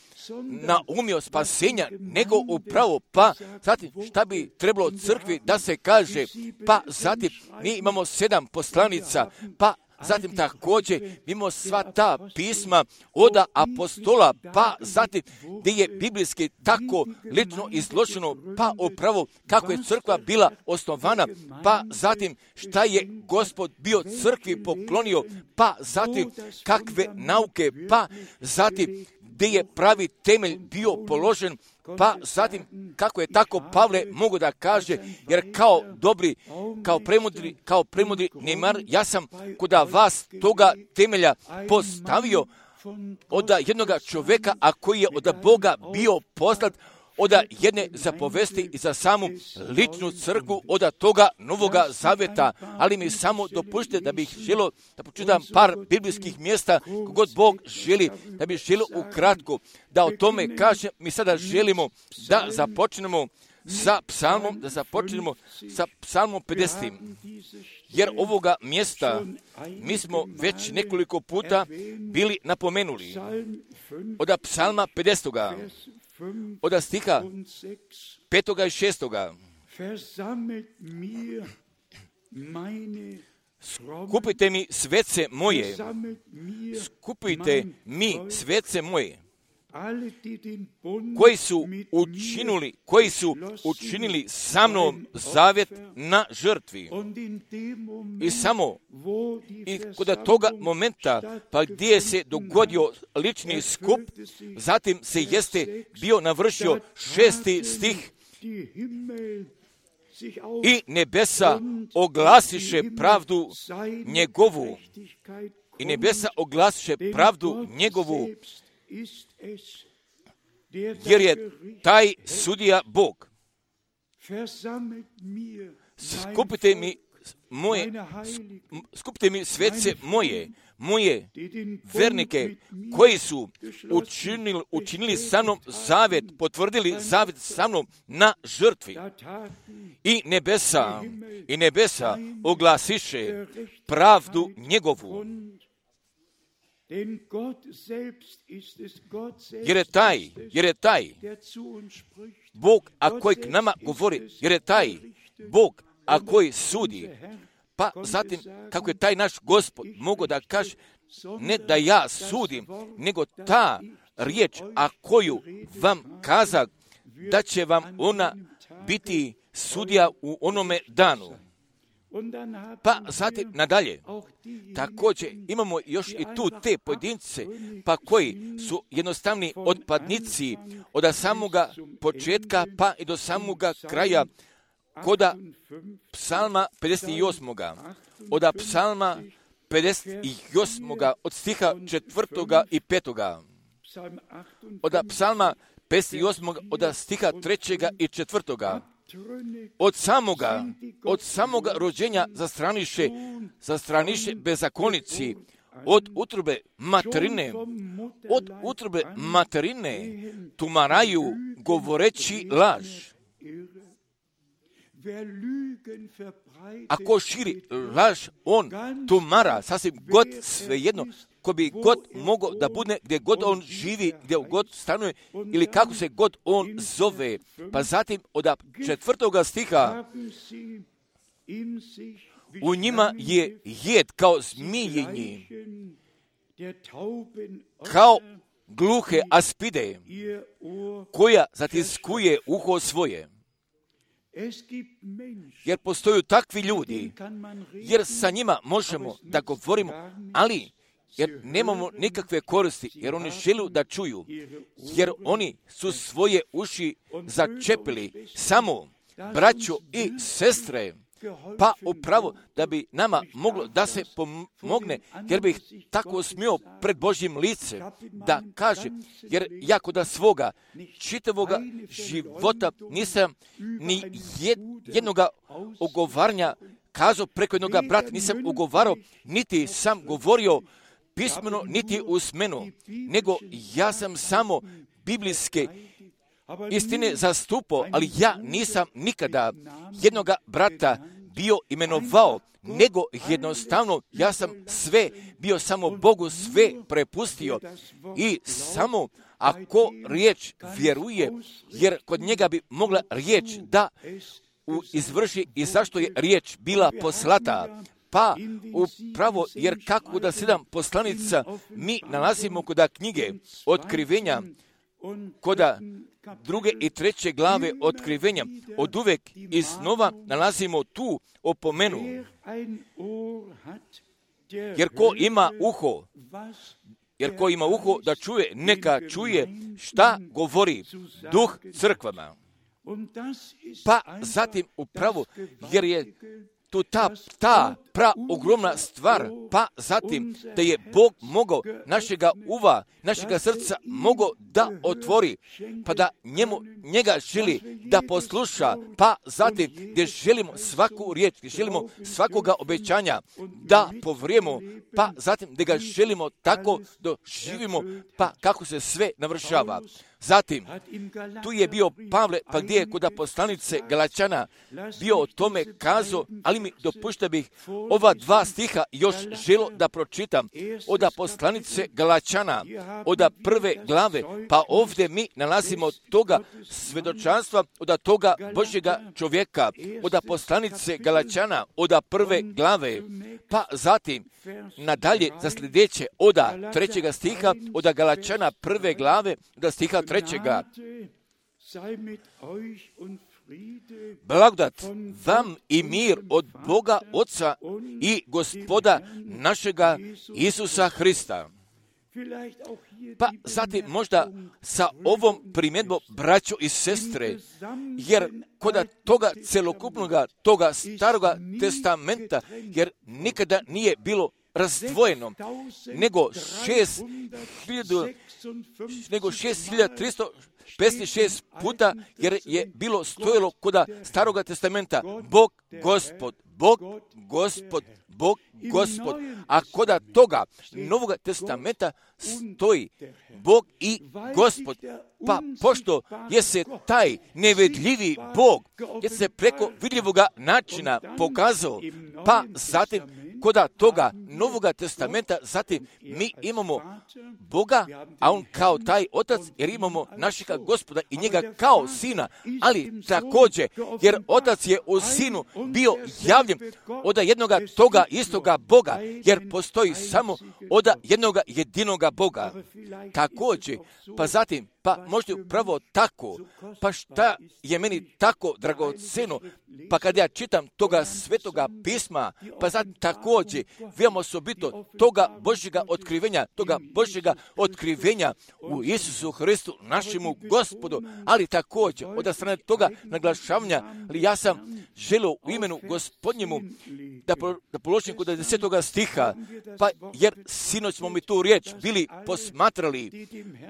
naumio spasenja, nego upravo, pa zatim šta bi trebalo crkvi da se kaže, pa zatim mi imamo sedam poslanica, pa zatim također imamo sva ta pisma od apostola, pa zatim gdje je biblijski tako lično izloženo, pa upravo kako je crkva bila osnovana, pa zatim šta je Gospod bio crkvi poklonio, pa zatim kakve nauke, pa zatim gdje je pravi temelj bio položen, pa zatim kako je tako Pavle mogu da kaže, jer kao dobri, kao premudri, kao premudri Neymar, ja sam kod vas toga temelja postavio od jednoga čovjeka, a koji je od Boga bio poslat, od jedne zapovesti i za samu ličnu crkvu od toga novoga zaveta, ali mi samo dopušte da bih želio da pročitam par biblijskih mjesta kogod Bog želi, da bih želio ukratko da o tome kažem. Mi sada želimo da započnemo sa psalmom, da započnemo sa psalmom pedeset. Jer ovoga mjesta mi smo već nekoliko puta bili napomenuli. Od psalma pedeset. Od stiha petoga i šestoga. Skupite mi svece moje, skupite mi svece moje, koji su učinili, koji su učinili sa mnom zavjet na žrtvi. I samo i kod toga momenta, pa gdje se dogodio lični skup, zatim se jeste bio navršio šesti stih, i nebesa oglasiše pravdu njegovu, i nebesa oglasiše pravdu njegovu, jer je taj sudija Bog. Skupite mi moje, skupite mi svece moje, moje vernike koji su učinili, učinili sa mnom zavjet, potvrdili zavjet sa mnom na žrtvi. I nebesa, i nebesa oglasiše pravdu njegovu. Jer je taj, jer je taj Bog, a koji k nama govori, jer je taj Bog, a koji sudi. Pa zatim, kako je taj naš Gospod mogao da kaže, ne da ja sudim, nego ta riječ, a koju vam kazak, da će vam ona biti sudija u onome danu. Pa zatim nadalje, također imamo još i tu te pojedince, pa koji su jednostavni otpadnici od samoga početka pa i do samoga kraja, koda psalma pedeset osam. Od psalma pedeset osam. od stiha četvrtoga i petoga. Od psalma pedeset osam. od stiha trećega i četvrtoga. Od samoga, od samoga rođenja zastraniše, zastraniše bezakonici, od utrobe materine, od utrobe materine tumaraju govoreći laž. Ako širi laž, on tumara, sasvim god svejedno, ko bi god mogao da bude gdje god on živi, gdje god stanuje ili kako se god on zove. Pa zatim od četvrtoga stiha, u njima je jed kao zmijenje, kao gluhe aspide, koja zatiskuje uho svoje. Jer postoju takvi ljudi, jer sa njima možemo da govorimo, ali jer nemamo nikakve koristi, jer oni žele da čuju, jer oni su svoje uši začepili samo braćo i sestre, pa upravo da bi nama moglo da se pomogne, jer bih tako smio pred Božjim lice da kaže, jer ja kod svoga čitavoga života nisam ni jednoga ogovaranja kazao preko jednoga brata, nisam ugovarao, niti sam govorio pismeno, niti usmeno, nego ja sam samo biblijske istine zastupao, ali ja nisam nikada jednoga brata bio imenovao, nego jednostavno ja sam sve, bio samo Bogu sve prepustio i samo ako riječ vjeruje, jer kod njega bi mogla riječ da izvrši i zašto je riječ bila poslata. Pa upravo, jer kako da sedam poslanica mi nalazimo kod knjige Otkrivenja, kod druge i treće glave Otkrivenja, od uvek iznova nalazimo tu opomenu. Jer ko ima uho, jer ko ima uho da čuje, neka čuje šta govori Duh crkvama. Pa zatim upravo, jer je tu ta, ta pra ogromna stvar, pa zatim da je Bog mogao našega uva, našega srca mogao da otvori, pa da njemu, njega želi da posluša, pa zatim gdje želimo svaku riječ, gdje želimo svakoga obećanja da povrijemo, pa zatim da ga želimo tako doživimo, pa kako se sve navršava. Zatim, tu je bio Pavle, pa gdje je kod poslanice Galačana bio o tome kazao, ali mi dopušta bih ova dva stiha još želo da pročitam od poslanice Galačana, od prve glave, pa ovdje mi nalazimo toga svedočanstva od toga Božjega čovjeka, od poslanice Galačana, od prve glave, pa zatim nadalje za sljedeće od trećega stiha, od Galačana prve glave, od stiha trećega. Blagodat vam i mir od Boga Oca i Gospoda našega Isusa Hrista. Pa zatim možda sa ovom primjedbom braćo i sestre, jer kod toga celokupnoga, toga staroga testamenta, jer nikada nije bilo razdvojeno, nego šest hiljada, nego šest hiljada tristo pedeset šest puta, jer je bilo stojilo kod staroga testamenta Bog, Gospod, Bog, Gospod, Bog, Gospod, a kod toga Novoga testamenta stoji Bog i Gospod. Pa pošto je se taj nevidljivi Bog, je se preko vidljivoga načina pokazao, pa zatim koda toga Novoga testamenta, zatim mi imamo Boga, a on kao taj otac, jer imamo našega Gospoda i njega kao sina, ali također, jer otac je u sinu bio javljen od jednoga toga istoga Boga, jer postoji samo od jednoga jedinoga Boga. Također, pa zatim, pa možda upravo tako, pa šta je meni tako dragoceno, pa kad ja čitam toga svetoga pisma, pa zatim također veoma osobito toga Božjega otkrivenja, toga Božjega otkrivenja u Isusu Hristu, našemu Gospodu, ali također od strane toga naglašavanja, ali ja sam želio u imenu Gospodnjemu da, po, da položim kod desetoga stiha, pa jer sinoć smo mi tu riječ bili posmatrali,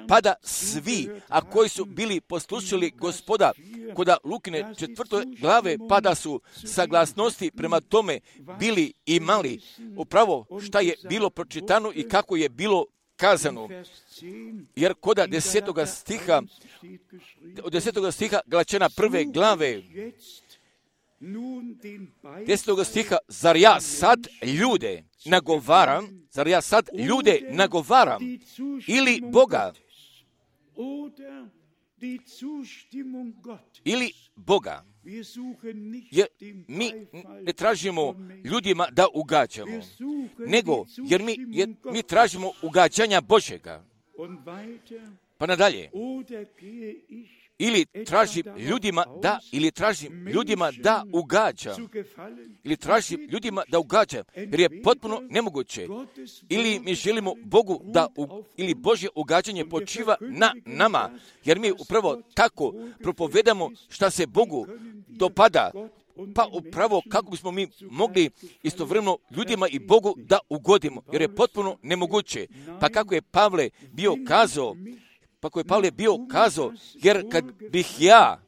pa da svi, a koji su bili poslušali Gospoda, koda Lukine četvrtoj glave, pa da su saglasnosti prema tome bili imali upravo šta je bilo pročitano i kako je bilo kazano. Jer koda desetoga stiha, od desetoga stiha Galačana prve glave, desetoga stiha, zar ja sad ljude nagovaram, zar ja sad ljude nagovaram ili Boga, ili Boga. Jer mi ne tražimo ljudima da ugađamo, nego jer mi, jer mi tražimo ugađanja Božjega. Pa nadalje. Ili tražim ljudima da, ili tražim ljudima da ugađam, ili tražim ljudima da ugađam, jer je potpuno nemoguće. Ili mi želimo Bogu da, u, ili Božje ugađanje počiva na nama, jer mi upravo tako propovedamo šta se Bogu dopada, pa upravo kako bismo mi mogli istovremeno ljudima i Bogu da ugodimo, jer je potpuno nemoguće. Pa kako je Pavle bio kazao, pa koji je Pavle bio kazao, jer kad bih ja,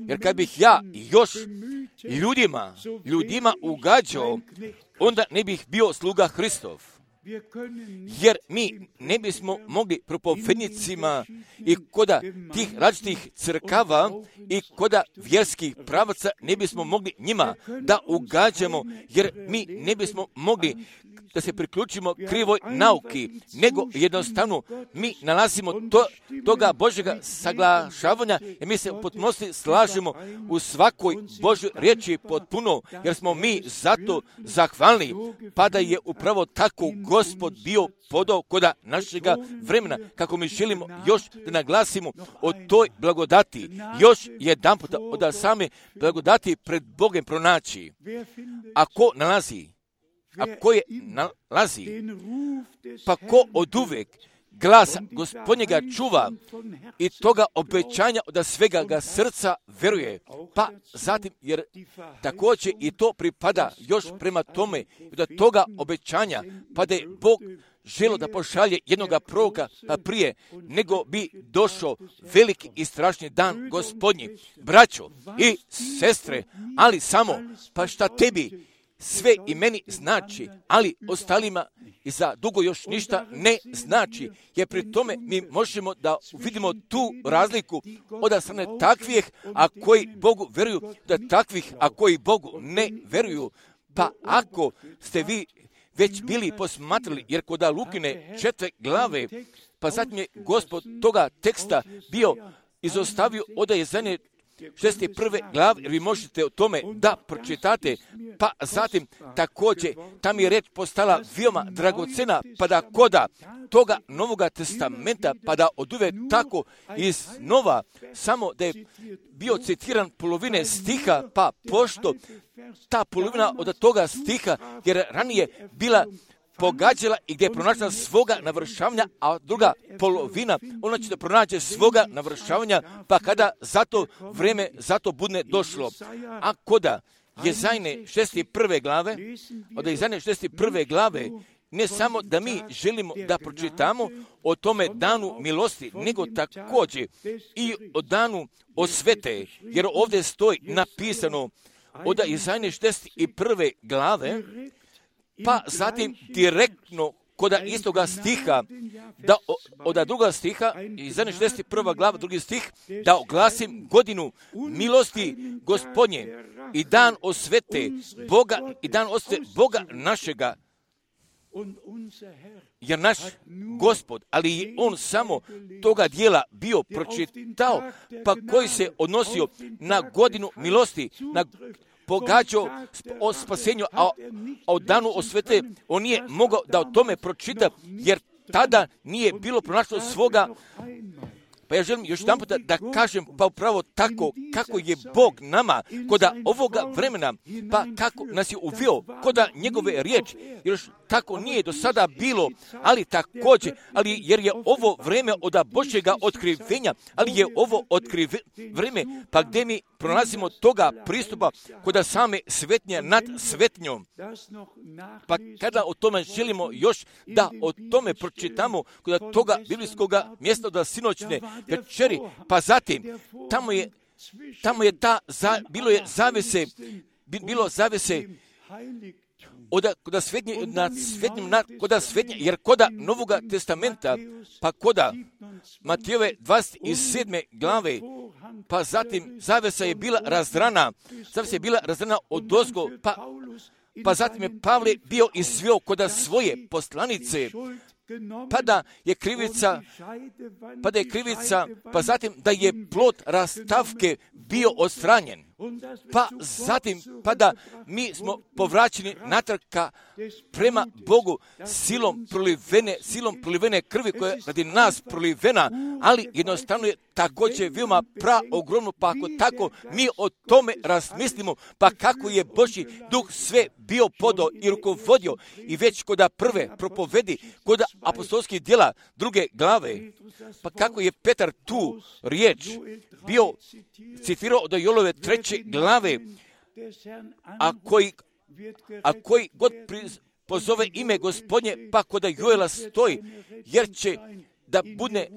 jer kad bih ja još ljudima, ljudima ugađao, onda ne bih bio sluga Hristov. Jer mi ne bismo mogli propovednicima i koda tih različitih crkava i koda vjerskih pravaca ne bismo mogli njima da ugađamo, jer mi ne bismo mogli da se priključimo krivoj nauki, nego jednostavno mi nalazimo to, toga Božjega saglašavanja i mi se u potpunosti slažemo u svakoj Božjoj riječi potpuno, jer smo mi zato zahvalni, pa da je upravo tako Gospod bio podao koda našega vremena, kako mi želimo još da naglasimo o toj blagodati, još jedan puta od same blagodati pred Bogom pronaći. Ako nalazi, a ko je nalazi, pa ko od uvek glasa Gospodnjega čuva i toga obećanja od svega ga srca veruje, pa zatim, jer također i to pripada još prema tome, da toga obećanja, pa da je Bog želo da pošalje jednoga proroka pa prije, nego bi došao veliki i strašni dan Gospodnji. Braćo i sestre, ali samo, pa šta tebi sve i meni znači, ali ostalima i za dugo još ništa ne znači, jer pri tome mi možemo da vidimo tu razliku od strane takvih, a koji Bogu veruju, da takvih, a koji Bogu ne veruju. Pa ako ste vi već bili posmatrali, jer kod Lukine četvrte glave, pa zatim je Gospod toga teksta bio izostavio od Jezanje šezdeset prve glave, jer vi možete o tome da pročitate, pa zatim također tam je reč postala veoma dragocena, pa da koda toga Novoga testamenta, pa da oduve tako iz nova, samo da je bio citiran polovine stiha, pa pošto ta polovina od toga stiha, jer ranije bila pogađala i gdje je pronašla svoga navršavanja, a druga polovina, ona će da pronađe svoga navršavanja, pa kada zato vreme, zato budne došlo. A koda Jezajne šezdeset prve glave, od Jezajne šezdeset prve glave, ne samo da mi želimo da pročitamo o tome danu milosti, nego također i o danu osvete, jer ovdje stoji napisano od Jezajne šezdeset prve glave, pa zatim direktno koda istoga stiha, da od druga stiha, Jezajne šezdeset prva glava, drugi stih, da oglasim godinu milosti Gospodnje i dan osvete Boga i dan osvete Boga našega jer naš Gospod, ali je on samo toga dijela bio pročitao, pa koji se odnosio na godinu milosti, na pogađao o spasenju, a o danu osvete, on nije mogao da o tome pročita, jer tada nije bilo pronašlo svoga. Pa ja želim još jedan puta da kažem, pa upravo tako kako je Bog nama koda ovoga vremena, pa kako nas je uveo koda njegove riječi, jer još tako nije do sada bilo, ali također, ali jer je ovo vreme od Božjega otkrivenja, ali je ovo otkrive, vreme, pa gdje mi pronalazimo toga pristupa koda same svetnje nad svetnjom. Pa kada o tome želimo još da o tome pročitamo koda toga biblijskoga mjesta od sinoćne večeri, pa zatim tamo je, tamo je ta, za, bilo je zavese, bilo zavese Oda, koda svetnje, nad svetnjim, nad, koda svetnje, jer koda Novoga testamenta, pa koda Matijove dvadeset sedme glave, pa zatim zavesa je bila razdrana, zavesa je bila razdrana odozgo, pa, pa zatim je Pavle bio izveo koda svoje poslanice, pa da je krivica, pa da je krivica, pa zatim da je plod rastavke bio odstranjen. Pa zatim, pa da mi smo povraćeni natrag prema Bogu silom prolivene, silom prolivene krvi koja je radi nas prolivena, ali jednostavno je također veoma pra ogromno, pa ako tako mi o tome razmislimo, pa kako je Božji duh sve bio podao i rukovodio i već koda prve propovedi, koda apostolskih djela druge glave, pa kako je Petar tu riječ bio citirao od Jolove treće glave, a koji, a koji god pozove ime Gospodnje, pa koda Joela stoji, jer će da bude,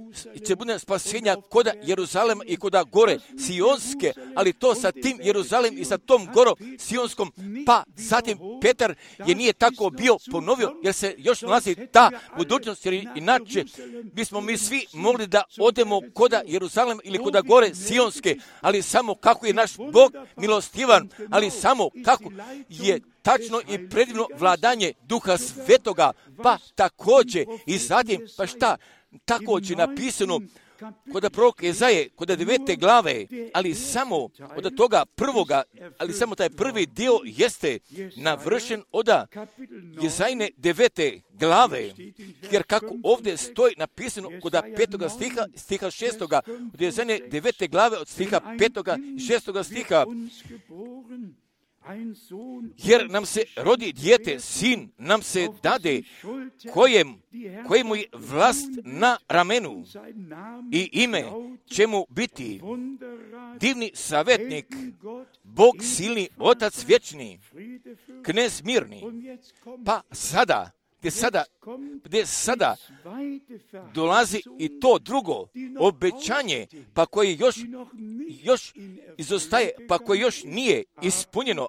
će bude spasenja koda Jeruzalema i koda gore Sionske, ali to sa tim Jeruzalem i sa tom gorom Sionskom, pa zatim Petar je nije tako bio ponovio, jer se još nalazi ta budućnost, jer inače bismo mi svi mogli da odemo koda Jeruzalema ili koda gore Sionske, ali samo kako je naš Bog milostivan, ali samo kako je tačno i predivno vladanje Duha Svetoga, pa također i zatim, pa šta, također napisano kod proroka Jezaje, kod devete glave, ali samo od toga prvoga, ali samo taj prvi dio jeste navršen od Jezajne devete glave, jer kako ovdje stoji napisano kod petoga stiha, stiha šestoga, od Jezajne devete glave, od stiha petoga i šestoga stiha, jer nam se rodi dijete, sin nam se dade, kojem, kojemu je vlast na ramenu i ime će mu biti divni savjetnik, Bog silni, Otac vječni, knez mirni. Pa sada, gdje sada, gdje sada dolazi i to drugo obećanje, pa koje još, još izostaje, pa koje još nije ispunjeno,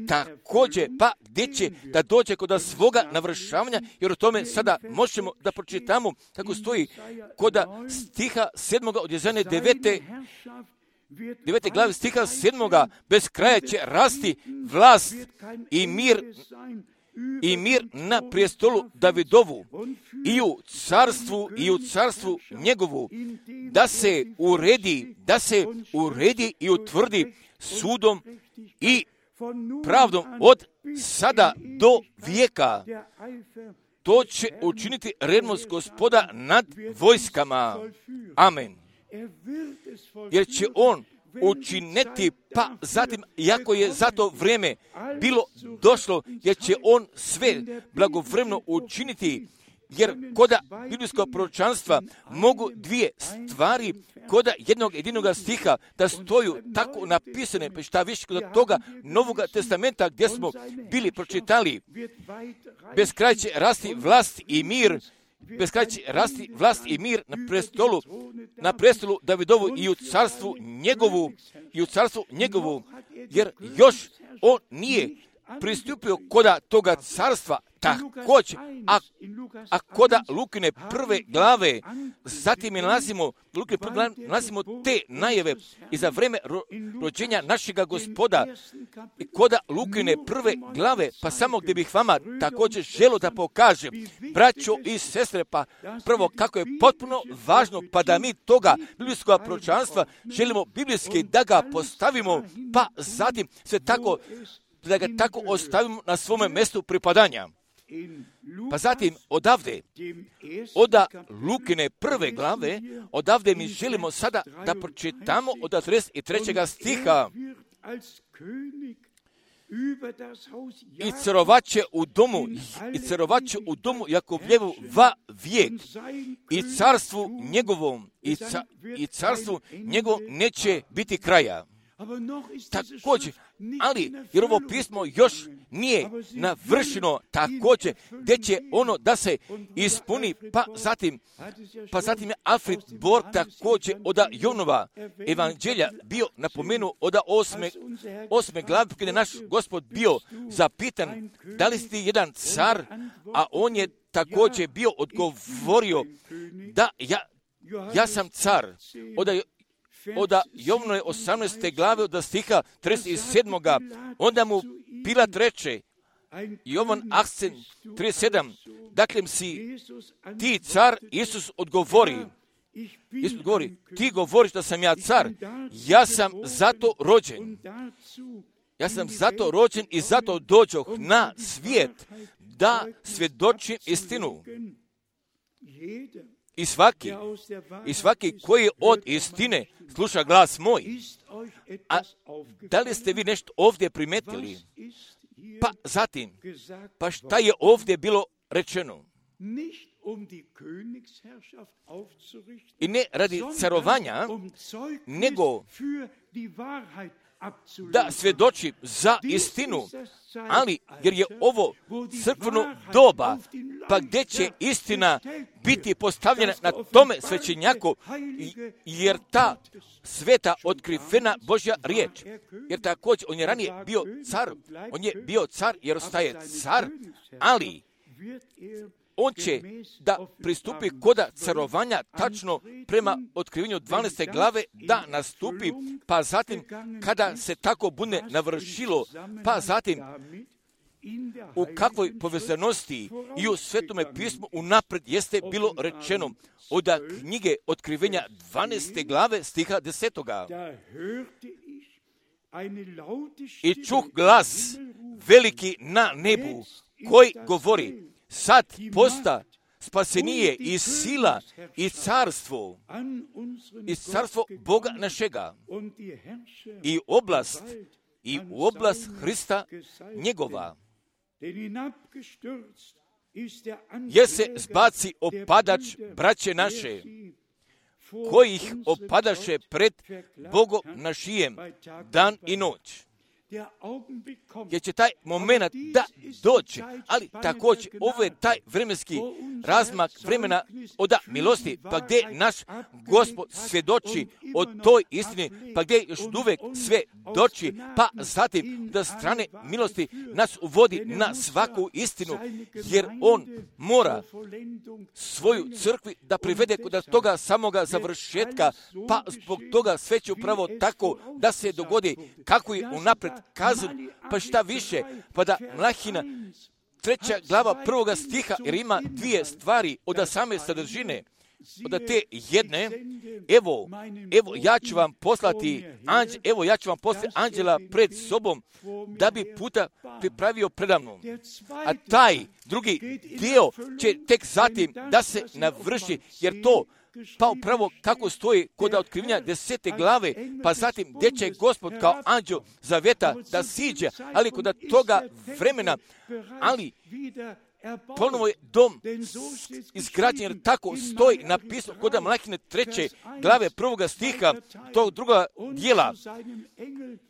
također, pa gdje će da dođe kod svoga navršavanja, jer o tome sada možemo da pročitamo, kako stoji kod stiha sedmoga od Jezajne devete, devete glave stiha sedmoga, bez kraja će rasti vlast i mir, i mir na prijestolu Davidovu i u carstvu i u carstvu njegovu, da se uredi, da se uredi i utvrdi sudom i pravdom od sada do vijeka. To će učiniti revnost Gospoda nad vojskama. Amen. Jer će on učiniti, pa zatim, iako je za to vrijeme bilo došlo, jer će on sve blagovremeno učiniti, jer koda biblijskog proročanstva mogu dvije stvari koda jednog jedinog stiha da stoju tako napisane, pa šta više kod toga Novoga testamenta gdje smo bili pročitali, bez kraja će rasti vlast i mir, bez kraja će rasti vlast i mir na prestolu, na prestolu Davidovu i u carstvu njegovu, i u carstvu njegovu, jer još on nije pristupio koda toga carstva također, a, a koda Lukine prve glave, zatim nalazimo, Lukine prve glave, nalazimo te najave i za vreme ro, rođenja našega Gospoda, i koda Lukine prve glave, pa samo gdje bih vama također želo da pokažem, braćo i sestre, pa prvo kako je potpuno važno, pa da mi toga biblijskog proročanstva želimo biblijski da ga postavimo, pa zatim sve tako, da ga tako ostavimo na svome mjestu pripadanja. Pa zatim odavde, oda Lukine prve glave, odavde mi želimo sada da pročitamo od trideset trećeg stiha. I carovaće u domu, i carovaće u domu Jakovljevu va vijek, i carstvu njegovom, i, ca, i carstvu njegovom neće biti kraja. Također, ali jer ovo pismo još nije navršeno također, gdje će ono da se ispuni, pa zatim, pa zatim je Alfred Borg također od Jonova evanđelja bio napomenuo od osme, osme glave, kada je naš Gospod bio zapitan, da li ste jedan car, a on je također bio odgovorio da ja, ja sam car. Od od Jovnove osamnaeste glave od stiha trideset sedam. Onda mu Pilat reče, Jovan osam trideset sedam, dakle si ti car, Isus odgovori, Isus odgovori, ti govoriš da sam ja car, ja sam zato rođen. Ja sam zato rođen i zato dođoh na svijet da svjedočim istinu. I svaki, i svaki koji od istine sluša glas moj. A da li ste vi nešto ovdje primetili? Pa zatim, pa šta je ovdje bilo rečeno? I ne radi carovanja, nego da svjedoči za istinu, ali jer je ovo crkveno doba, pa gdje će istina biti postavljena na tome svećenjaku, jer ta sveta otkrivena Božja riječ, jer također on je ranije bio car, on je bio car jer ostaje car, ali on će da pristupi koda carovanja tačno prema otkrivenju dvanaeste glave da nastupi, pa zatim kada se tako bude navršilo, pa zatim u kakvoj povezanosti i u Svetome pismu unapred jeste bilo rečeno od knjige otkrivenja dvanaeste glave stiha desetoga. I čuh glas veliki na nebu koji govori, sad posta spasenije i sila i carstvo, i carstvo Boga našega, i oblast, i u oblast Hrista njegova. Jer se zbaci opadač braće naše, kojih opadaše pred Bogom našijem dan i noć. Jer će taj moment da doći, ali također ovo je taj vremenski razmak vremena od milosti, pa gdje naš Gospod svjedoči o toj istini, pa gdje još uvijek sve doći, pa zatim da strane milosti nas uvodi na svaku istinu, jer on mora svoju crkvi da privede kod toga samoga završetka, pa zbog toga sve će upravo tako da se dogodi kako je unapred kazan, pa šta više, pa da Mlahina treća glava prvoga stiha, jer ima dvije stvari od same sadržine, od te jedne, evo, evo ja ću vam poslati, anđ, evo ja ću vam poslati anđela pred sobom, da bi puta pripravio predamnom. A taj drugi dio će tek zatim da se navrši, jer to pa upravo kako stoji kod otkrivenja desete glave, pa zatim gdje će Gospod kao anđeo zaveta da siđe, ali kod toga vremena, ali ponovo je dom izgrađen, jer tako stoji napisano kod Mlahine treće glave prvoga stiha tog druga dijela.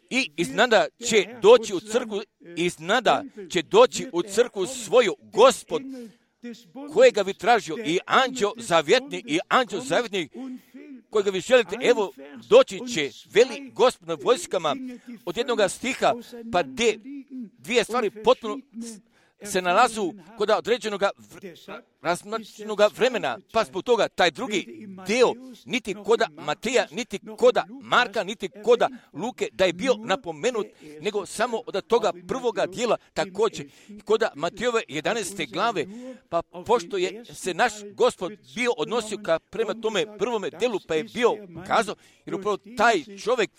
I iznada će doći u crkvu, iznada će doći u crkvu svoju Gospod, kojega bi tražio i anđeo zavjetni i anđeo zavjetni kojega vi želite, evo doći će veli Gospod na vojskama od jednoga stiha, pa de, dvije stvari potpuno se nalazu kod određenog razmačenog vremena, pa zbog toga taj drugi dio, niti koda Mateja, niti koda Marka, niti koda Luke, da je bio napomenut, nego samo od toga prvoga dijela također, koda Matejove jedanaeste glave, pa pošto je se naš Gospod bio odnosio ka prema tome prvome delu, pa je bio kazao, jer upravo taj čovjek,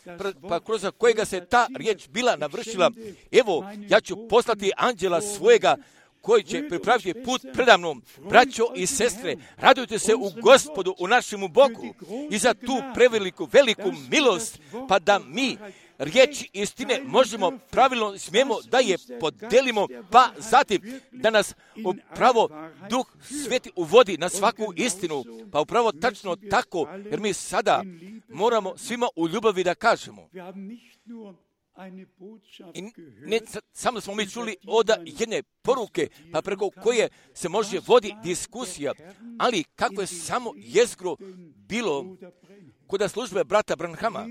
pa kroz kojega se ta riječ bila navršila, evo, ja ću poslati anđela svojega, koji će pripraviti put predamnom. Braćo i sestre, radujte se u Gospodu, u našemu Bogu i za tu preveliku, veliku milost, pa da mi riječi istine možemo pravilno, smijemo da je podelimo, pa zatim da nas upravo Duh Sveti uvodi na svaku istinu, pa upravo tačno tako, jer mi sada moramo svima u ljubavi da kažemo. I ne samo smo mi čuli od jedne poruke, pa preko koje se može vodi diskusija, ali kako je samo jezgro bilo kod službe brata Branhama.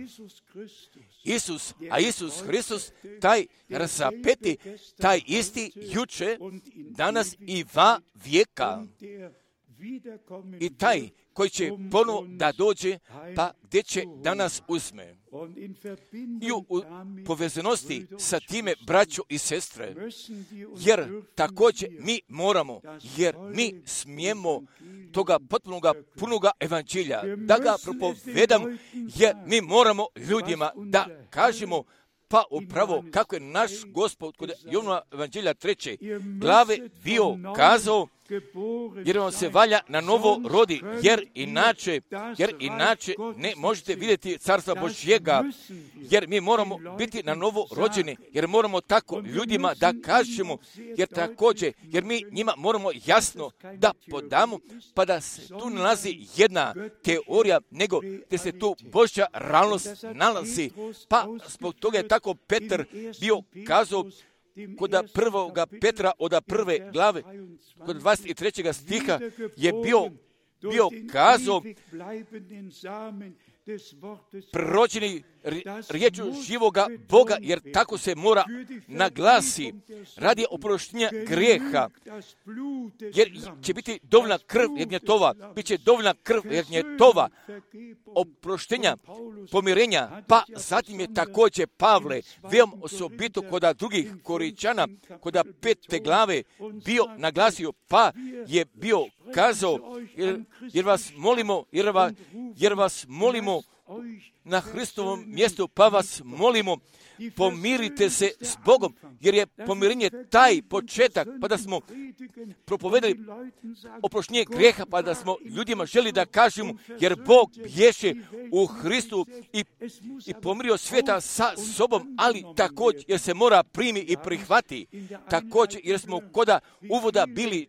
Isus, a Isus Hristos, taj razapeti, taj isti juče, danas i va vijeka. I taj koji će ponovo da dođe, pa gdje će da nas uzme. I u, u povezanosti sa time, braćo i sestre, jer također mi moramo, jer mi smijemo toga potpunoga, punoga evanđelja, da ga propovedamo, jer mi moramo ljudima da kažemo, pa upravo kako je naš Gospod kod Jovnova evanđelja treće glave bio kazao, jer vam se valja na novo rodi, jer inače, jer inače ne možete vidjeti carstva Božjega, jer mi moramo biti na novo rođeni, jer moramo tako ljudima da kažemo, jer također, jer mi njima moramo jasno da podamo, pa da se tu nalazi jedna teorija, nego da se tu Božja realnost nalazi, pa zbog toga je tako Petar bio kazao, kod prvoga Petra od prve glave, kod dvadeset trećeg stiha je bio, bio kazao, proročeni riječu živoga Boga, jer tako se mora naglasi radi oproštenja grijeha, jer će biti dovoljna krv jednjetova, bit će dovoljna krv jednjetova, oproštenja, pomirenja, pa zatim je također Pavle, veoma osobito kod drugih Koričana, kod pete glave bio naglasio, pa je bio kazao, jer, jer vas molimo, jer vas, jer vas molimo na Hristovom mjestu, pa vas molimo, pomirite se s Bogom, jer je pomirenje taj početak, pa da smo propovedali oproštenje grijeha, pa da smo ljudima želi da kažemo, jer Bog bješe u Hristu i, i pomirio svijeta sa sobom, ali također jer se mora primi i prihvati, također jer smo koda uvoda bili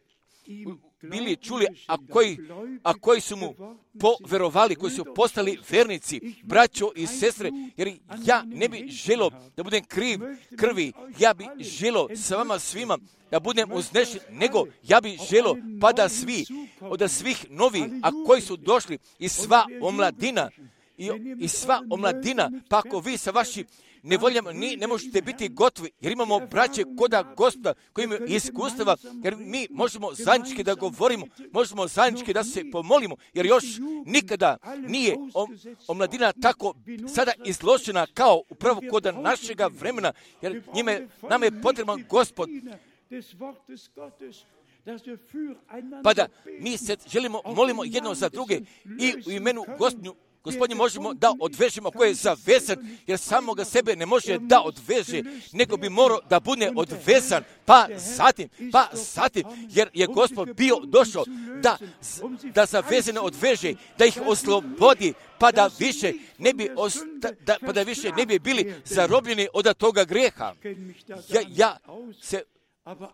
bili čuli, a koji, a koji su mu poverovali, koji su postali vernici, braćo i sestre, jer ja ne bih želio da budem kriv krvi, ja bih želio sa vama svima da budem uznešen, nego ja bih želio pa da svi, od svih novih, a koji su došli i sva omladina, i, i sva omladina, pa ako vi sa vašim nevoljama ni, ne možete biti gotovi, jer imamo braće koda Gospoda koji imaju iskustava, jer mi možemo zajednički da govorimo, možemo zajednički da se pomolimo, jer još nikada nije omladina tako sada izložena kao upravo koda našega vremena, jer njime, nam je potreban Gospod. Pa da mi se želimo, molimo jedno za druge i u imenu Gospodnju Gospodnje možemo da odvežemo koje je zavezan, jer samoga sebe ne može da odveže, nego bi morao da bude odvezan, pa zatim, pa zatim, jer je Gospod bio došao da, da zavezane odveže, da ih oslobodi, pa da više ne bi, osta, da, pa da više ne bi bili zarobljeni od toga grijeha. Ja, ja se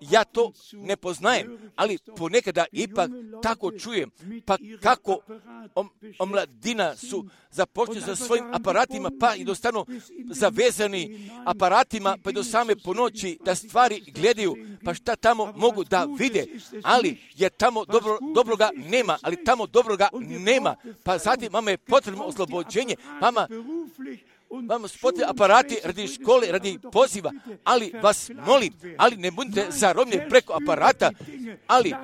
Ja to ne poznajem, ali ponekada ipak tako čujem, pa kako om, omladina su započeli sa svojim aparatima, pa i dostanu zavezani aparatima, pa i do same ponoći da stvari gledaju, pa šta tamo mogu da vide, ali je tamo dobro, dobroga nema, ali tamo dobroga nema, pa zatim mama je potrebno oslobođenje, mama vam su potrebni aparati radi škole, radi poziva, ali vas molim, ali ne budite zarobljeni preko aparata, ali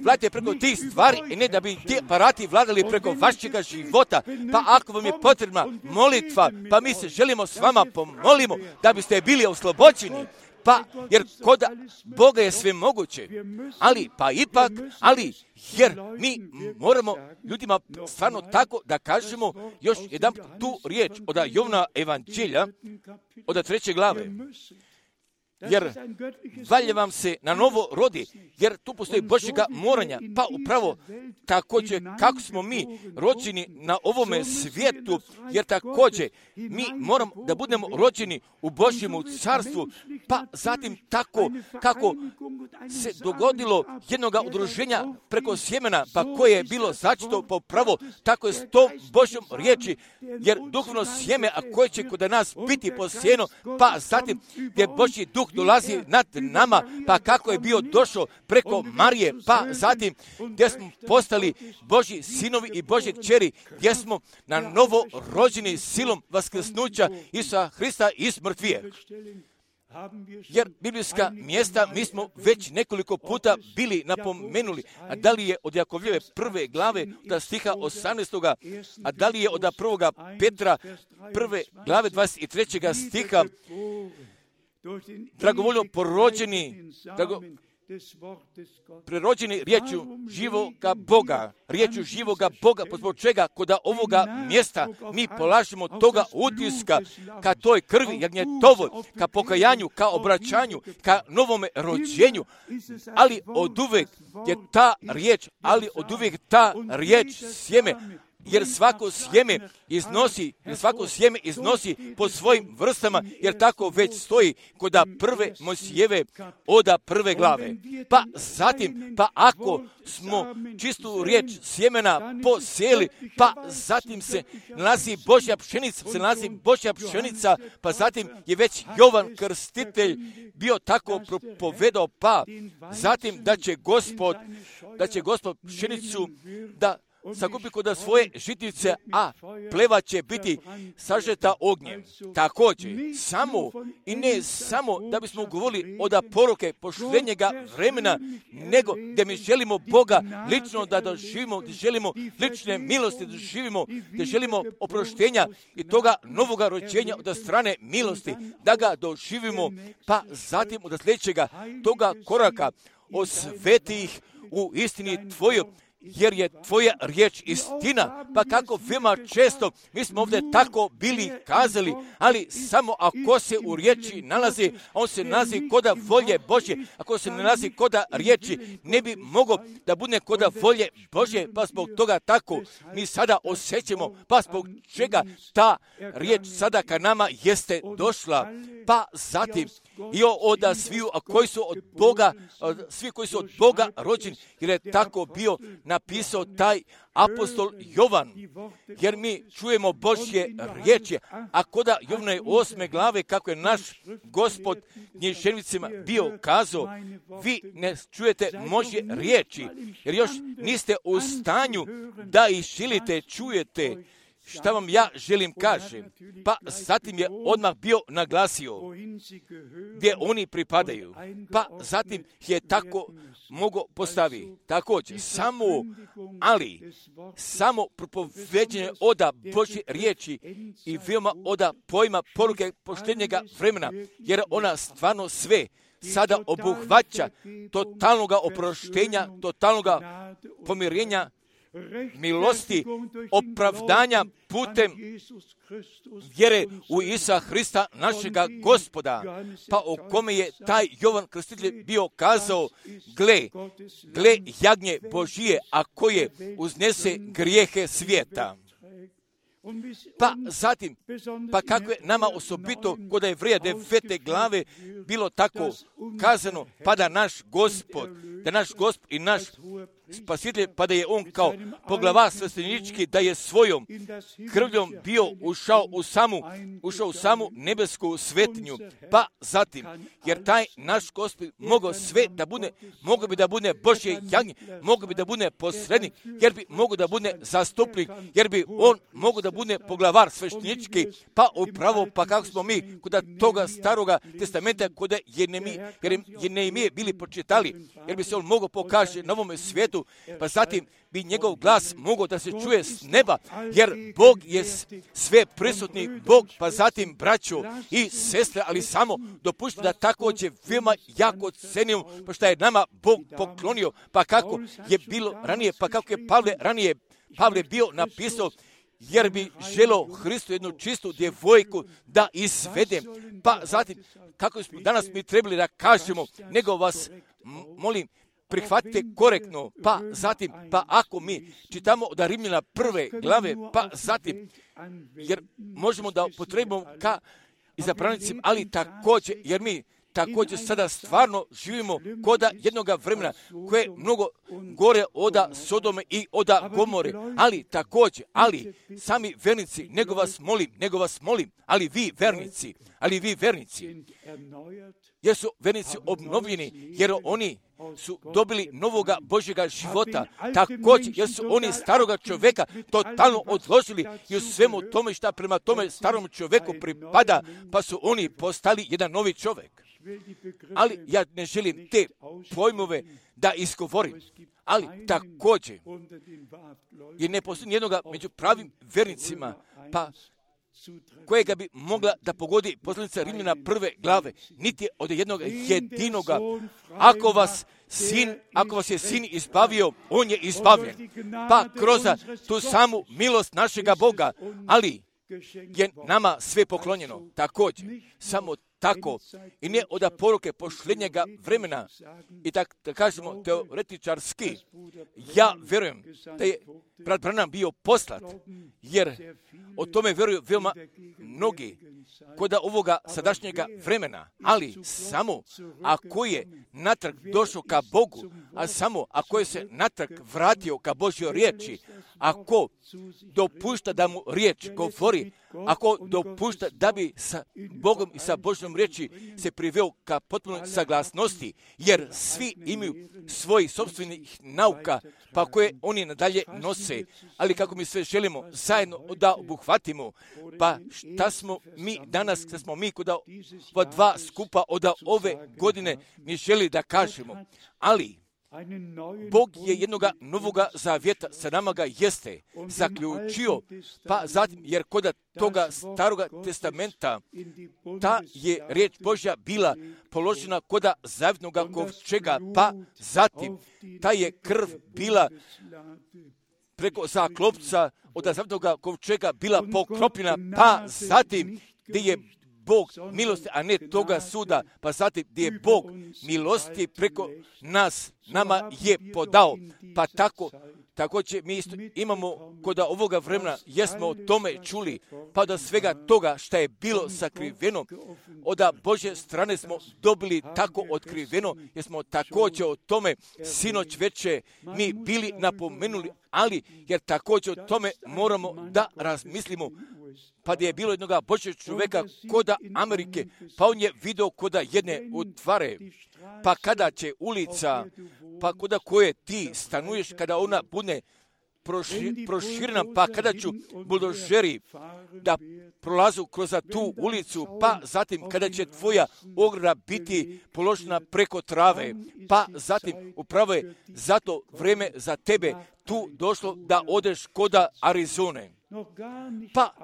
vladajte preko tih stvari i ne da bi ti aparati vladali preko vašega života. Pa ako vam je potrebna molitva, pa mi se želimo s vama pomolimo da biste bili oslobođeni. Pa, jer kod Boga je sve moguće, ali, pa ipak, ali, jer mi moramo ljudima stvarno tako da kažemo još jedan tu riječ od Jovana evanđelja, od treće glave. Jer valje vam se na novo rodi, jer tu postoji Božjega moranja, pa upravo također kako smo mi rođeni na ovome svijetu, jer također mi moramo da budemo rođeni u Božjemu carstvu, pa zatim tako kako se dogodilo jednoga udruženja preko sjemena, pa koje je bilo začeto po pravo, tako je s tom Božjom riječi, jer duhovno sjeme, a koje će kod nas biti posijeno, pa zatim gdje Božji duh dolazi nad nama, pa kako je bio došao preko Marije, pa zatim gdje smo postali Božji sinovi i Božje kćeri, gdje smo na novo rođeni silom vaskrsnuća Isusa Hrista iz mrtvije. Jer biblijska mjesta mi smo već nekoliko puta bili napomenuli, a da li je od Jakovljeve prve glave od stiha osamnaestoga, a da li je od prvoga Petra prve glave dvadeset trećega stiha, dragovoljno porođeni, drago, prerođeni riječju živoga Boga, riječju živoga Boga, zbog čega kod ovoga mjesta mi polažemo toga utiska ka toj krvi jagnjetovoj, ka pokajanju, ka obraćanju, ka novome rođenju, ali oduvek je ta riječ, ali oduvek ta riječ sjeme, jer svako sjeme iznosi, jer svako sjeme iznosi po svojim vrstama, jer tako već stoji kod prve Mojsijeve oda prve glave. Pa zatim, pa ako smo čistu riječ sjemena posijeli, pa zatim se nalazi Božja pšenica, se nalazi Božja pšenica, pa zatim je već Jovan Krstitelj bio tako propovedao, pa zatim da će Gospod, da će Gospod pšenicu da sakupi kod svoje žitnice, a pleva će biti sažeta ognjem. Također, samo i ne samo da bismo govorili od poruke poštenjega vremena, nego da mi želimo Boga lično da doživimo, da želimo lične milosti da doživimo, da želimo oproštenja i toga novoga rođenja od strane milosti, da ga doživimo, pa zatim od sljedećega toga koraka osveti ih u istini Tvoju, jer je Tvoja riječ istina. Pa kako veoma često mi smo ovdje tako bili kazali, ali samo ako se u riječi nalazi, on se nalazi koda volje Božje. Ako se ne nalazi koda riječi, ne bi mogao da bude koda volje Božje, pa zbog toga tako mi sada osjećamo, pa zbog čega ta riječ sada ka nama jeste došla. Pa zatim i od sviju koji su od Boga, svi koji su od Boga rođeni, jer je tako bio napisao taj apostol Jovan, jer mi čujemo Božje riječi, a koda Jovane osme glave, kako je naš Gospod književnicima bio kazao, vi ne čujete Božje riječi, jer još niste u stanju da ih želite, čujete šta vam ja želim kažem. Pa zatim je odmah bio naglasio gdje oni pripadaju. Pa zatim je tako mogo postavi. Također, samo, ali, samo propoveđenje oda Božje riječi i veoma oda pojma poruke poštenjega vremena, jer ona stvarno sve sada obuhvaća totalnoga oproštenja, totalnoga pomirenja, milosti, opravdanja putem vjere u Isusa Hrista, našega Gospoda, pa o kome je taj Jovan Krstitelj bio kazao, gle, gle jagnje Božije, a koje uznese grijehe svijeta. Pa zatim, pa kako je nama osobito kod Jevreja devete glave bilo tako kazano, pa da naš Gospod, da naš Gospod i naš Spasitelj, pa da je on kao poglava sveštenički, da je svojom krvljom bio ušao u samu, ušao u samu nebesku svetinju. Pa zatim, jer taj naš Gospod mogao sve da bude, mogao bi da bude Božje jagnje, mogao bi da bude posrednik, jer bi mogao da bude zastupnik, jer bi on mogao da bude poglavar sveštenički, pa upravo, pa kako smo mi kod toga staroga testamenta, kod Jeremije, Jeremije bili počitali, jer bi se on mogao pokaže na ovome svijetu, pa zatim bi njegov glas mogao da se čuje s neba, jer Bog je sve prisutni Bog, pa zatim braćo i sestre, ali samo dopušta da također veoma jako cenim, pa što je nama Bog poklonio, pa kako je bilo ranije, pa kako je Pavle ranije Pavle bio napisao, jer bi želeo Hristu jednu čistu djevojku da izvedem. Pa zatim, kako smo danas mi trebali da kažemo, nego vas molim, prihvatite korektno, pa zatim, pa ako mi čitamo od Rimljana prve glave, pa zatim, jer možemo da potrebimo ka izabranicima, ali također, jer mi također sada stvarno živimo koda jednoga vremena koje je mnogo gore oda Sodome i oda Gomore, ali također, ali sami vernici, nego vas molim, nego vas molim, ali vi vernici, ali vi vernici, jer su vernici obnovljeni, jer oni su dobili novoga Božjega života, također, jer su oni staroga čovjeka totalno odložili i u svemu tome šta prema tome starom čovjeku pripada, pa su oni postali jedan novi čovjek. Ali ja ne želim te pojmove da izgovorim, ali također, jer ne postoji jednoga među pravim vernicima, pa kojega bi mogla da pogodi poslanica Rimljana prve glave, niti od jednog jedinoga. Ako vas sin, ako vas je sin izbavio, on je izbavljen. Pa kroz tu samu milost našega Boga, ali je nama sve poklonjeno. Također, samo tako i ne od poruke posljednjega vremena i tak da kažemo teoretičarski, ja vjerujem da je brat Branham bio poslat, jer o tome vjeruju veoma mnogi kod ovoga sadašnjega vremena, ali samo ako je natrag došao ka Bogu, a samo ako je se natrag vratio ka Božjoj riječi, ako dopušta da mu riječ govori, ako dopušta da bi sa Bogom i sa Božjom riječi se priveo ka potpunoj saglasnosti, jer svi imaju svojih sopstvenih nauka, pa koje oni nadalje nose, ali kako mi sve želimo zajedno da obuhvatimo, pa šta smo mi danas, šta smo mi kod ova dva skupa od ove godine mi želi da kažemo, ali Bog je jednoga novoga zavjeta sa nama ga jeste zaključio, pa zatim, jer kod toga staroga testamenta ta je riječ Božja bila položena kod zavjetnoga kovčega, pa zatim ta je krv bila preko zaklopca od zavjetnoga kovčega bila pokropljena, pa zatim gdje je Bog milosti, a ne toga suda, pa zatim gdje je Bog milosti preko nas, nama je podao, pa tako, također mi isto imamo kod ovoga vremena, jesmo o tome čuli, pa da svega toga što je bilo sakriveno, od Božje strane smo dobili tako otkriveno, jer smo također o tome sinoć veče mi bili napomenuli, ali jer također o tome moramo da razmislimo, pa gdje je bilo jednoga Božjeg čovjeka koda Amerike, pa on je vidio koda jedne utvare, pa kada će ulica, pa koda koje ti stanuješ, kada ona bude proširena, pa kada ću buldožeri da prolazu kroz tu ulicu, pa zatim kada će tvoja ograda biti položena preko trave, pa zatim upravo je zato vrijeme za tebe tu došlo da odeš koda Arizone. Pa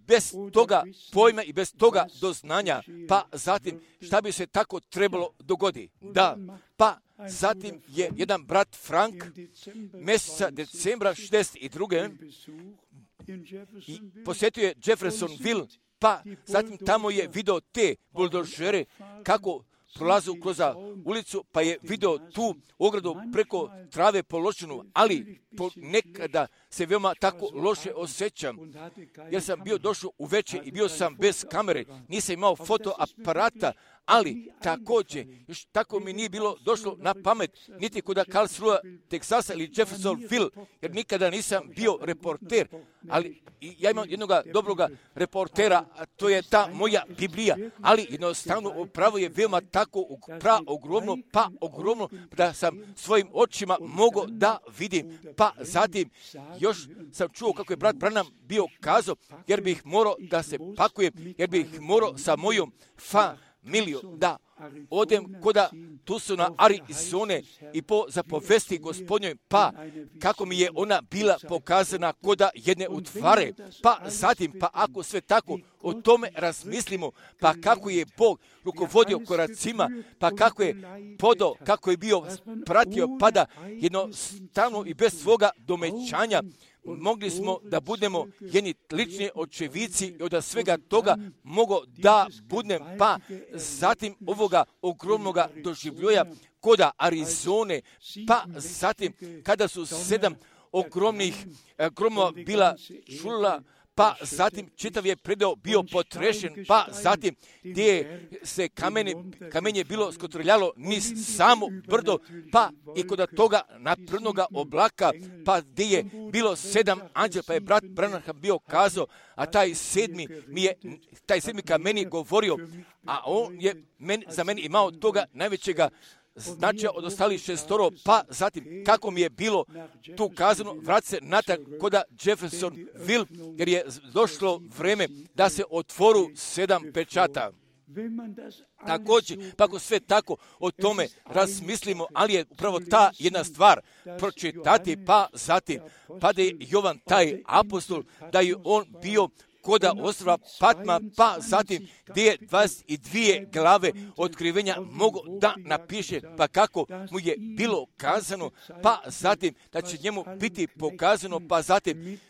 bez toga pojma i bez toga doznanja, pa zatim šta bi se tako trebalo dogoditi? Da, pa zatim je jedan brat Frank mjeseca decembra šezdeset druge i posjetio je Jeffersonville, pa zatim tamo je video te buldožere kako prolazu kroz ulicu, pa je video tu ogradu preko trave položenu, ali po nekada se veoma tako loše osjećam, jer sam bio došao uveče i bio sam bez kamere, nisam imao fotoaparata, ali također, još tako mi nije bilo došlo na pamet, niti kod Karlsruhe, Teksasa ili Jeffersonville, jer nikada nisam bio reporter, ali ja imam jednog dobroga reportera, a to je ta moja Biblija, ali jednostavno upravo je veoma tako pra ogromno, pa ogromno, da sam svojim očima mogao da vidim, pa zatim još sam čuo kako je brat Branham bio kazao, jer bih morao da se pakujem, jer bih morao sa mojom familijom da odem koda Tucsona, Arizone i po zapovesti Gospodnjoj, pa kako mi je ona bila pokazana koda jedne utvare, pa zatim, pa ako sve tako o tome razmislimo, pa kako je Bog rukovodio koracima, pa kako je podao, kako je bio pratio, pada jednostavno i bez svoga domećanja, mogli smo da budemo jedni lični očevici i od svega toga mogo da budem, pa zatim ovoga ogromnoga doživljoja koda Arizone, pa zatim kada su sedam ogromnih gromova bila čula, pa zatim čitav je predeo bio potrešen, pa zatim gdje se kamene, kamenje bilo skotrljalo niz samo brdo, pa i kod toga naprednoga oblaka, pa gdje je bilo sedam anđela, pa je brat Branham bio kazao, a taj sedmi mi je, taj sedmi kameni govorio, a on je men, za meni imao toga najvećega značaja od ostalih šestoro, pa zatim kako mi je bilo tu kazano, vrat se natak koda Jeffersonville, jer je došlo vreme da se otvoru sedam pečata. Također, pa ako sve tako o tome razmislimo, ali je upravo ta jedna stvar pročitati, pa zatim, pa da je Jovan taj apostol, da je on bio koda ostrva Patma, pa zatim gdje je dvadeset dvije glave otkrivenja mogo da napiše, pa kako mu je bilo kazano, pa zatim da će njemu biti pokazano, pa zatim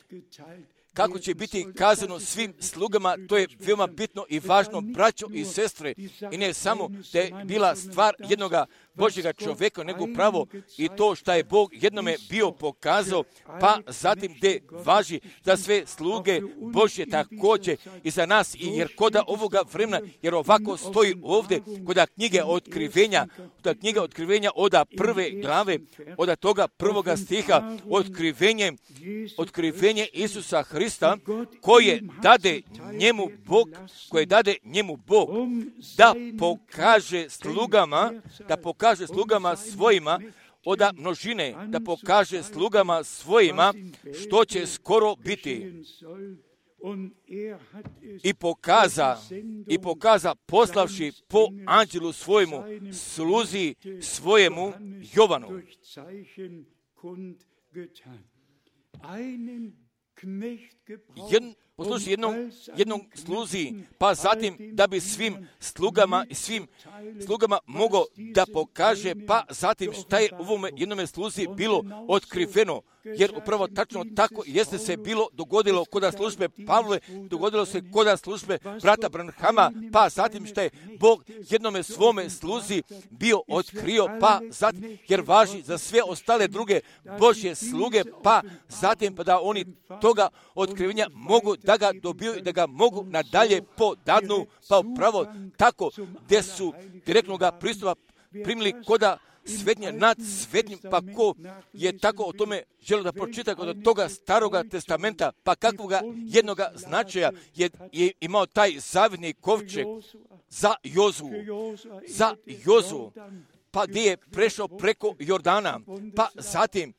kako će biti kazano svim slugama, to je veoma bitno i važno, braćo i sestre, i ne samo da je bila stvar jednoga Božjega čovjeka, nego pravo i to što je Bog jednome bio pokazao, pa zatim gdje važi za sve sluge Božje također i za nas, i jer koda ovoga vremena, jer ovako stoji ovdje koda knjige otkrivenja, koda knjige otkrivenja oda prve glave, oda toga prvoga stiha, otkrivenje, otkrivenje Isusa Hrista, koje dade njemu Bog, koje dade njemu Bog, da pokaže slugama, da pokaže kaže slugama svojima oda množine, da pokaže slugama svojima što će skoro biti. I pokaza, i pokaza poslavši po anđelu svojemu, sluzi svojemu Jovanu. Jedan, poslušaj, jednom, jednom sluzi, pa zatim da bi svim slugama i svim slugama mogao da pokaže, pa zatim šta je u ovome jednome sluzi bilo otkriveno, jer upravo tačno tako jeste se bilo dogodilo koda službe Pavle, dogodilo se koda službe brata Branhama, pa zatim šta je Bog jednome svome sluzi bio otkrio, pa zatim, jer važi za sve ostale druge Božje sluge, pa zatim pa da oni toga otkrivenja mogu da ga dobiju i da ga mogu nadalje podadnu, pa upravo tako gdje su direktnoga pristupa primili koda svetnje nad svetnjim, pa ko je tako o tome želio da pročita kod toga staroga testamenta, pa kakvoga jednoga značaja je, je imao taj zavidni kovčeg za Jozu, za Jozu, pa gdje je prešao preko Jordana, pa zatim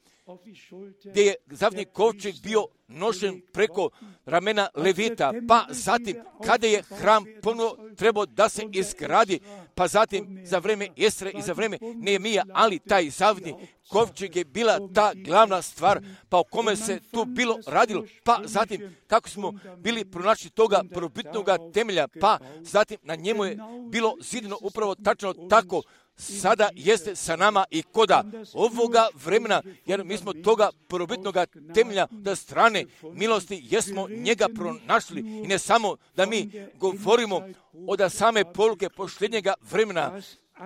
gdje je zavidni kovčeg bio nošen preko ramena Levita, pa zatim kada je hram ponovo trebao da se izgradi, pa zatim za vreme Esre i za vreme Nehemija, ali taj zavidni kovčeg je bila ta glavna stvar, pa o kome se tu bilo radilo, pa zatim kako smo bili pronašli toga prvobitnoga temelja, pa zatim na njemu je bilo zidano upravo tačno tako, sada jeste sa nama i koda ovoga vremena, jer mi smo toga prvobitnoga temelja da strane milosti jesmo njega pronašli, i ne samo da mi govorimo od same poruke posljednjega vremena,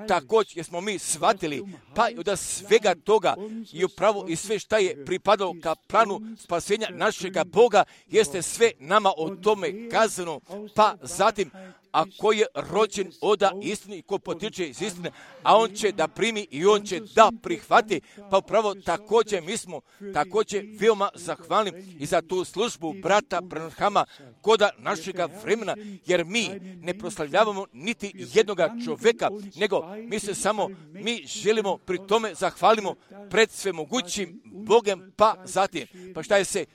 također jesmo mi shvatili, pa i od svega toga i upravo i sve šta je pripadalo ka planu spasenja našega Boga, jeste sve nama o tome kazano, pa zatim a ko je rođen oda istini i ko potiče iz istine, a on će da primi i on će da prihvati. Pa upravo također mi smo također veoma zahvalni i za tu službu brata Branhama koda našega vremena, jer mi ne proslavljavamo niti jednoga čovjeka, nego mi se samo, mi želimo pri tome zahvalimo pred svemogućim Bogem, pa zatim, pa šta je se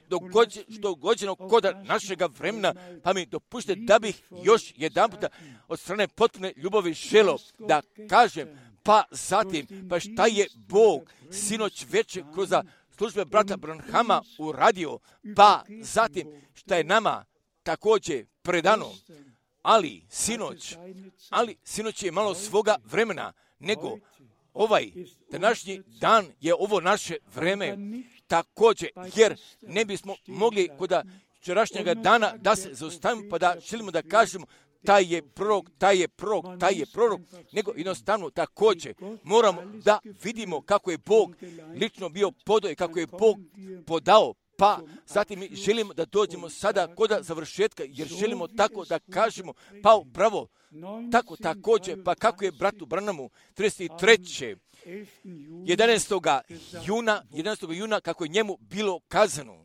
dogođeno koda našega vremena, pa mi dopušte da bih još jedan puta od strane potpune ljubavi želo da kažem, pa zatim, pa šta je Bog sinoć večer kroz službe brata Branhama uradio, pa zatim šta je nama također predano, ali sinoć, ali sinoć je malo svoga vremena, nego ovaj današnji dan je ovo naše vreme također, jer ne bismo mogli kod včerašnjega dana da se zaustavimo pa da želimo da kažemo taj je prorok, taj je prorok, taj je prorok, nego jednostavno također moramo da vidimo kako je Bog lično bio podao i kako je Bog podao. Pa zatim mi želimo da dođemo sada kod završetka, jer želimo tako da kažemo, pa upravo tako također, pa kako je bratu Branhamu trideset trećeg jedanaestog juna, jedanaestog juna, kako je njemu bilo kazano.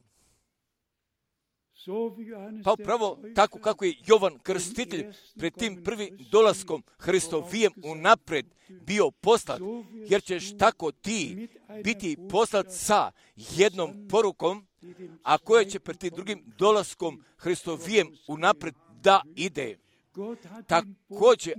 Pa upravo tako kako je Jovan Krstitelj pred tim prvim dolaskom Hristovijem unapred bio poslat, jer ćeš tako ti biti poslat sa jednom porukom, a koja će pred tim drugim dolaskom Hristovijem unapred da ide. Također,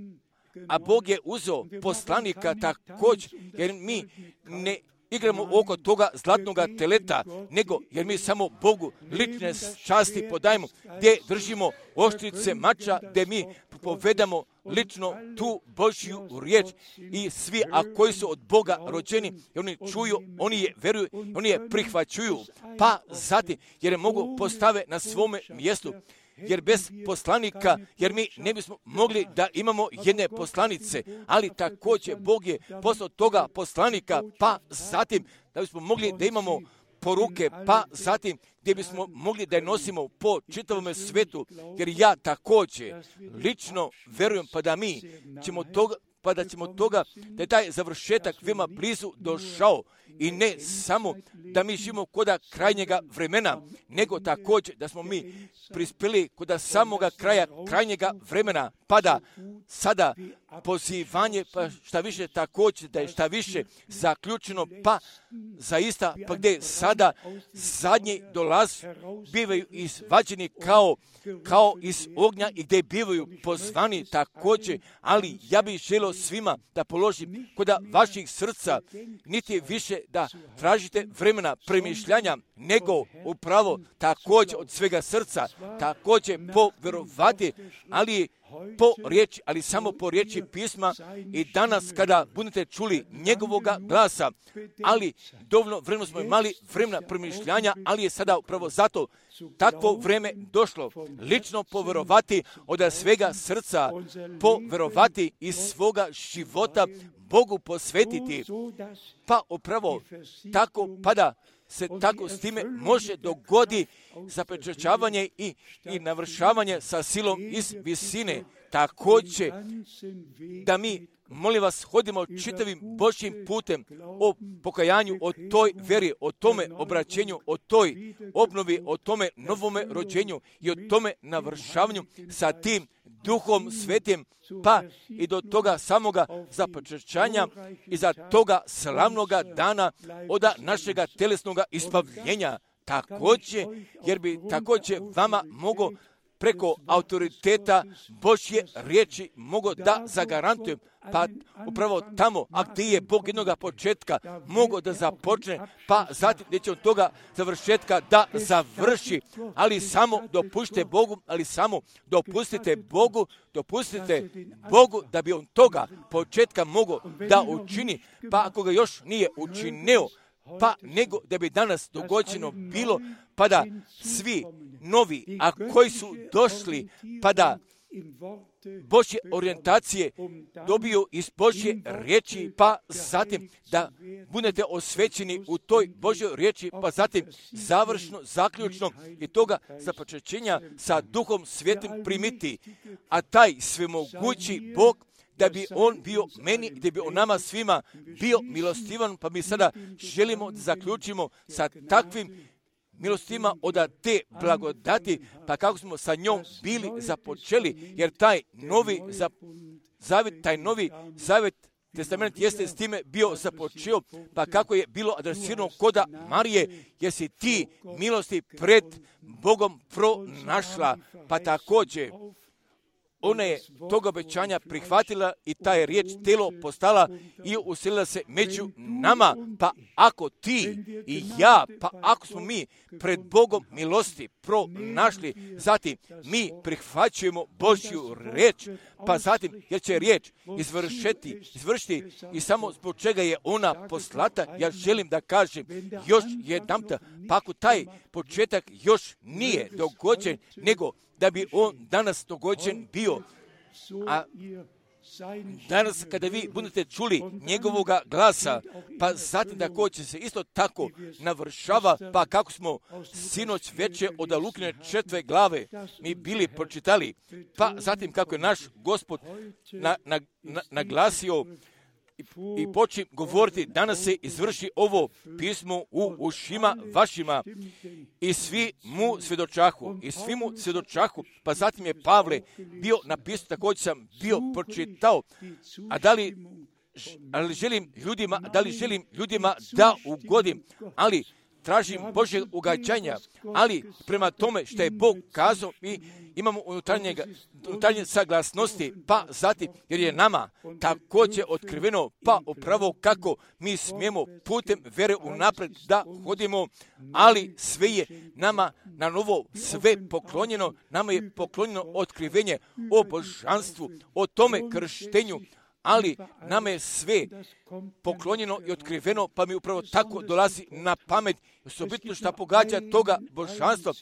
a Bog je uzeo poslanika također, jer mi ne igramo oko toga zlatnoga teleta, nego jer mi samo Bogu lične časti podajemo, gdje držimo oštrice mača, gdje mi povedamo lično tu Božju riječ i svi, a koji su od Boga rođeni, i oni čuju, oni je veruju, oni je prihvaćuju, pa zatim, jer je mogu postave na svome mjestu, jer bez poslanika, jer mi ne bismo mogli da imamo jedne poslanice, ali također Bog je poslao toga poslanika, pa zatim da bismo mogli da imamo poruke, pa zatim gdje bismo mogli da je nosimo po čitavom svetu, jer ja također lično verujem pa da mi ćemo toga, pa da ćemo toga, da je taj završetak veoma blizu došao i ne samo da mi živimo koda krajnjega vremena, nego također da smo mi prispjeli koda samoga kraja krajnjega vremena, pa da sada pozivanje, pa šta više također da je šta više zaključeno, pa zaista, pa gdje sada zadnji dolaz bivaju izvađeni kao, kao iz ognja i gdje bivaju pozvani također, ali ja bih želio svima da položim koda vaših srca, niti više da tražite vremena premišljanja, nego upravo također od svega srca, također povjerovati, ali po riječi, ali samo po riječi pisma i danas kada budete čuli njegovoga glasa, ali dovoljno vremena smo imali vremena premišljanja, ali je sada upravo zato takvo vreme došlo, lično povjerovati od svega srca, povjerovati iz svoga života Bogu posvetiti, pa upravo tako pada se tako s time može dogodi zapečaćavanje i, i navršavanje sa silom iz visine. Također da mi, molim vas, hodimo čitavim Božjim putem o pokajanju, o toj veri, o tome obraćenju, o toj obnovi, o tome novome rođenju i o tome navršavanju sa tim Duhom Svetim, pa i do toga samoga započećanja i za toga slavnoga dana od našega telesnoga ispavljenja. Također, jer bi također vama mogo preko autoriteta Božje riječi mogo da zagarantujem, pa upravo tamo, a gdje je Bog jednoga početka mogo da započne, pa zatim gdje će od toga završetka da završi, ali samo dopušte Bogu, ali samo dopustite Bogu, dopustite Bogu da bi on toga početka mogo da učini, pa ako ga još nije učinio, pa nego da bi danas dogođeno bilo, pa da svi novi, a koji su došli, pa da Božje orijentacije dobiju iz Božje riječi, pa zatim da budete osvećeni u toj Božjoj riječi, pa zatim završno, zaključno i toga započećenja sa Duhom Svetim primiti. A taj svemogući Bog, da bi on bio meni, da bi on nama svima bio milostivan, pa mi sada želimo da zaključimo sa takvim milostima od te blagodati, pa kako smo sa njom bili započeli, jer taj novi zavjet, taj novi zavjet, testament jeste s time bio započeo, pa kako je bilo adresirano koda Marije, jer si ti milosti pred Bogom pronašla, pa također ona je toga obećanja prihvatila i ta je riječ telo postala i uselila se među nama. Pa ako ti i ja, pa ako smo mi pred Bogom milosti pronašli, zatim mi prihvaćujemo Božju riječ, pa zatim jer će riječ izvršiti, izvršiti i samo zbog čega je ona poslata, ja želim da kažem još jedanputa, pa ako taj početak još nije dogođen, nego da bi on danas dogođen bio. A danas kada vi budete čuli njegovoga glasa, pa zatim da ko će se isto tako navršava, pa kako smo sinoć veče od Lukine četve glave mi bili pročitali, pa zatim kako je naš Gospod na, na, na, naglasio i počim govoriti, danas se izvrši ovo pismo u ušima vašima i svi mu svjedočahu, i svi mu svjedočahu, pa zatim je Pavle bio napisao, također sam bio pročitao, a da li, ali želim ljudima, da li želim ljudima da ugodim, ali tražim Božje ugađanja, ali prema tome što je Bog kazao mi imamo unutarnje saglasnosti, pa zatim jer je nama također otkriveno, pa upravo kako mi smijemo putem vere unaprijed da hodimo, ali sve je nama na novo sve poklonjeno, nama je poklonjeno otkrivenje o božanstvu, o tome krštenju, ali nama je sve poklonjeno i otkriveno, pa mi upravo tako dolazi na pamet, osobito što pogađa toga božanstva,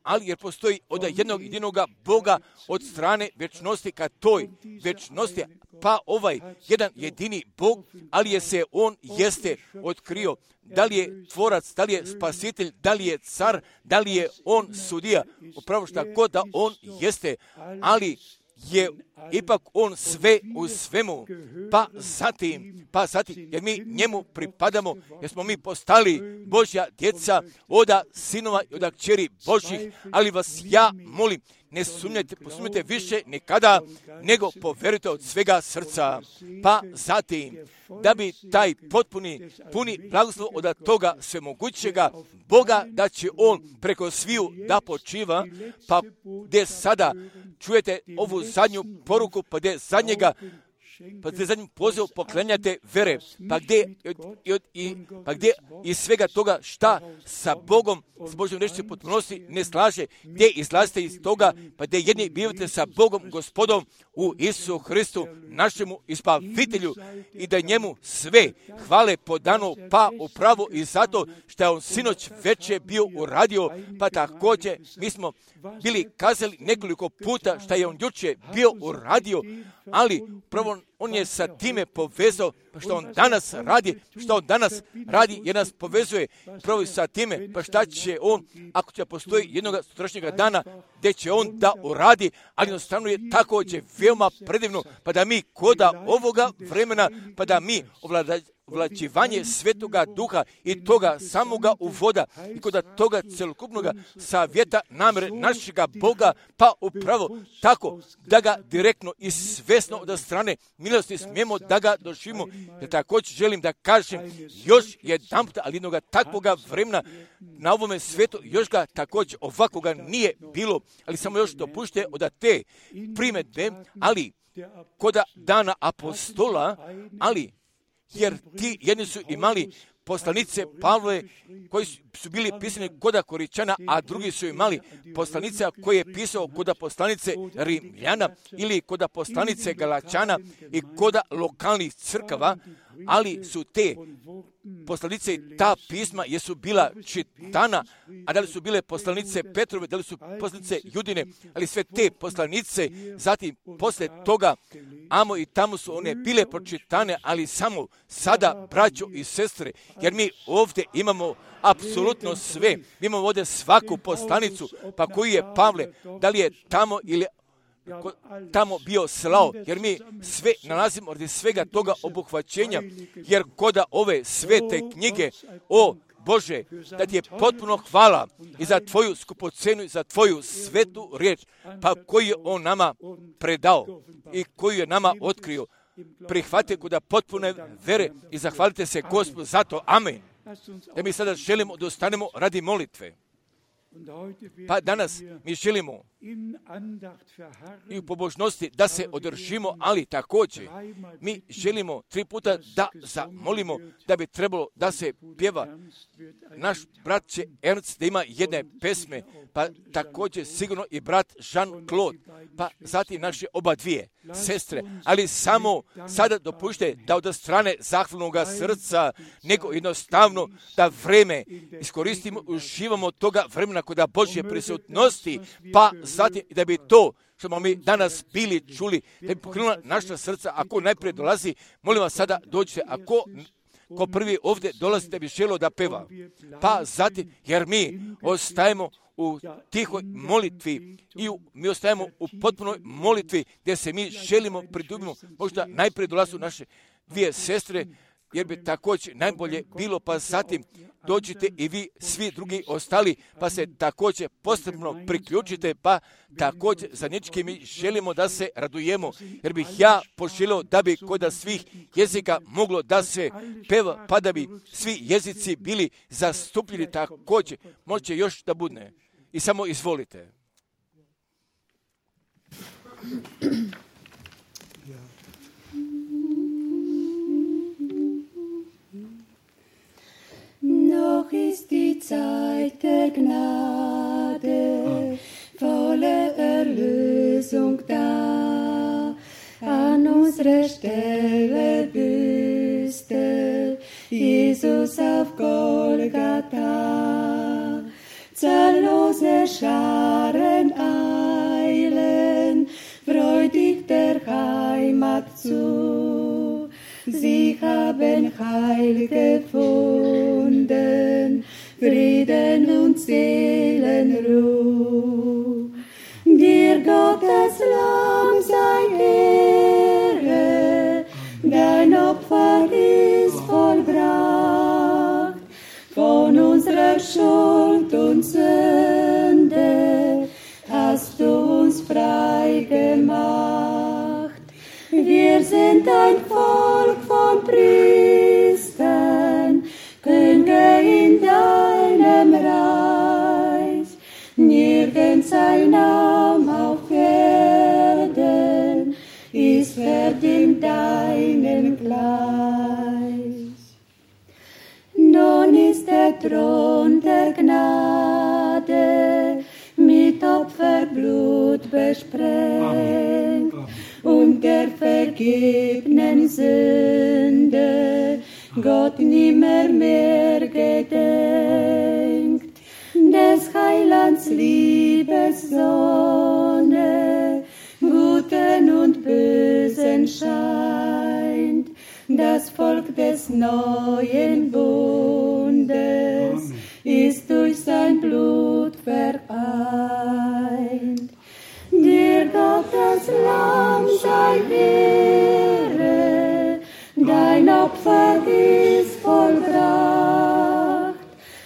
ali jer postoji od jednog jedinoga Boga od strane vječnosti ka toj vječnosti, pa ovaj jedan jedini Bog, ali je se on jeste otkrio, da li je tvorac, da li je spasitelj, da li je car, da li je on sudija, upravo šta god da on jeste, ali je ipak on sve u svemu, pa zatim, pa zatim, jer mi njemu pripadamo, jer smo mi postali Božja djeca, oda sinova i oda kćeri Božjih, ali vas ja molim, ne sumnjajte, posumnjajte više nikada, nego poverujte od svega srca. Pa zatim, da bi taj potpuni, puni blagoslov od toga svemogućega Boga, da će on preko sviju da počiva, pa gdje sada čujete ovu zadnju poruku, pa gdje zadnjega, pa gdje zadnjim pozivom poklanjate vere, pa gdje, i, i, pa gdje iz svega toga šta sa Bogom, s Božjom rečju potpunosti ne slaže, gdje izlazite iz toga, pa gdje jedni bivate sa Bogom, Gospodom u Isusu Hristu, našemu ispavitelju, i da njemu sve hvale podano, pa upravo i zato što je on sinoć veče bio uradio, pa također mi smo bili kazali nekoliko puta što je on juče bio uradio, ali upravo on je sa time povezao, pa što on danas radi, što on danas radi, jer nas povezuje upravo sa time, pa šta će on, ako će postoji jednog sutrašnjega dana, gdje će on da uradi, ali jednostavno je također veoma predivno, pa da mi koda ovoga vremena, pa da mi ovlađivanje Svetoga Duha i toga samoga uvoda i kod toga celokupnoga savjeta namjere našega Boga, pa upravo tako da ga direktno i svesno od strane milosti smijemo da ga doživimo. Ja također želim da kažem još jedan puta, ali jednoga takvoga vremena na ovome svijetu još ga također ovakvoga nije bilo, ali samo još dopušte od te primjedbe, ali koda dana apostola, ali jer ti jedni su imali poslanice Pavle koji su bili pisani koda Koričana, a drugi su imali poslanica koji je pisao koda poslanice Rimljana ili koda poslanice Galačana i koda lokalnih crkava, ali su te poslanice i ta pisma jesu bila čitana, a da li su bile poslanice Petrove, da li su poslanice Judine, ali sve te poslanice, zatim posle toga, amo i tamo su one bile pročitane, ali samo sada, braćo i sestre, jer mi ovdje imamo apsolutno sve. Mi imamo ovdje svaku poslanicu, pa koji je Pavle, da li je tamo ili tamo bio slao, jer mi sve nalazimo od svega toga obuhvaćenja, jer koda ove svete knjige, o Bože, da ti je potpuno hvala i za tvoju skupocenu i za tvoju svetu riječ, pa koju je on nama predao i koju je nama otkrio. Prihvatite koda potpune vere i zahvalite se Gospodu za to. Amen. Da mi sada želimo da ostanemo radi molitve. Pa danas mi želimo i u pobožnosti da se održimo, ali također mi želimo tri puta da zamolimo da bi trebalo da se pjeva. Naš brat će Ernst da ima jedne pesme, pa također sigurno i brat Jean-Claude, pa zatim naše oba dvije sestre, ali samo sada dopušte da od strane zahvalnog srca, nego jednostavno da vreme iskoristimo, uživamo toga vremena koda Božje prisutnosti, pa zatim da bi to što smo mi danas bili čuli, da bi pokrenula naša srca. Ako najprije dolazi, molim vas sada dođite, ako ko prvi ovdje dolazi da bi želio da peva, pa zatim, jer mi ostajemo u tihoj molitvi i u, mi ostajemo u potpunoj molitvi gdje se mi želimo pridubimo. Možda najprije dolazu naše dvije sestre, jer bi također najbolje bilo, pa zatim dođite i vi svi drugi ostali, pa se također posebno priključite, pa također za nječke mi želimo da se radujemo, jer bih ja poželio da bi kod svih jezika moglo da se peva, pa da bi svi jezici bili zastupljeni također. Može još da budne. I samo izvolite. Noch ist die Zeit der Gnade, volle Erlösung da. An unserer Stelle büßte Jesus auf Golgatha. Zahllose Scharen eilen freudig der Heimat zu. Sie haben Heil gefunden, Frieden und Seelenruhe. Dir Gottes Lamm sei Ehre, dein Opfer ist vollbracht. Von unserer Schuld und Sünde hast du uns frei gemacht. Wir sind ein Volk von Priestern, Könige in deinem Reich. Nirgends ein Name auf Erden ist verdient deinem gleich. Nun ist der Thron der Gnade mit Opferblut besprengt. Und der vergebenen Sünde Gott nimmer mehr gedenkt. Des Heilands Liebessonne Guten und Bösen scheint. Das Volk des neuen Bundes ist durch sein Blut vereint. Dir Gottes Lamm sei Ehre, dein Opfer ist vollbracht.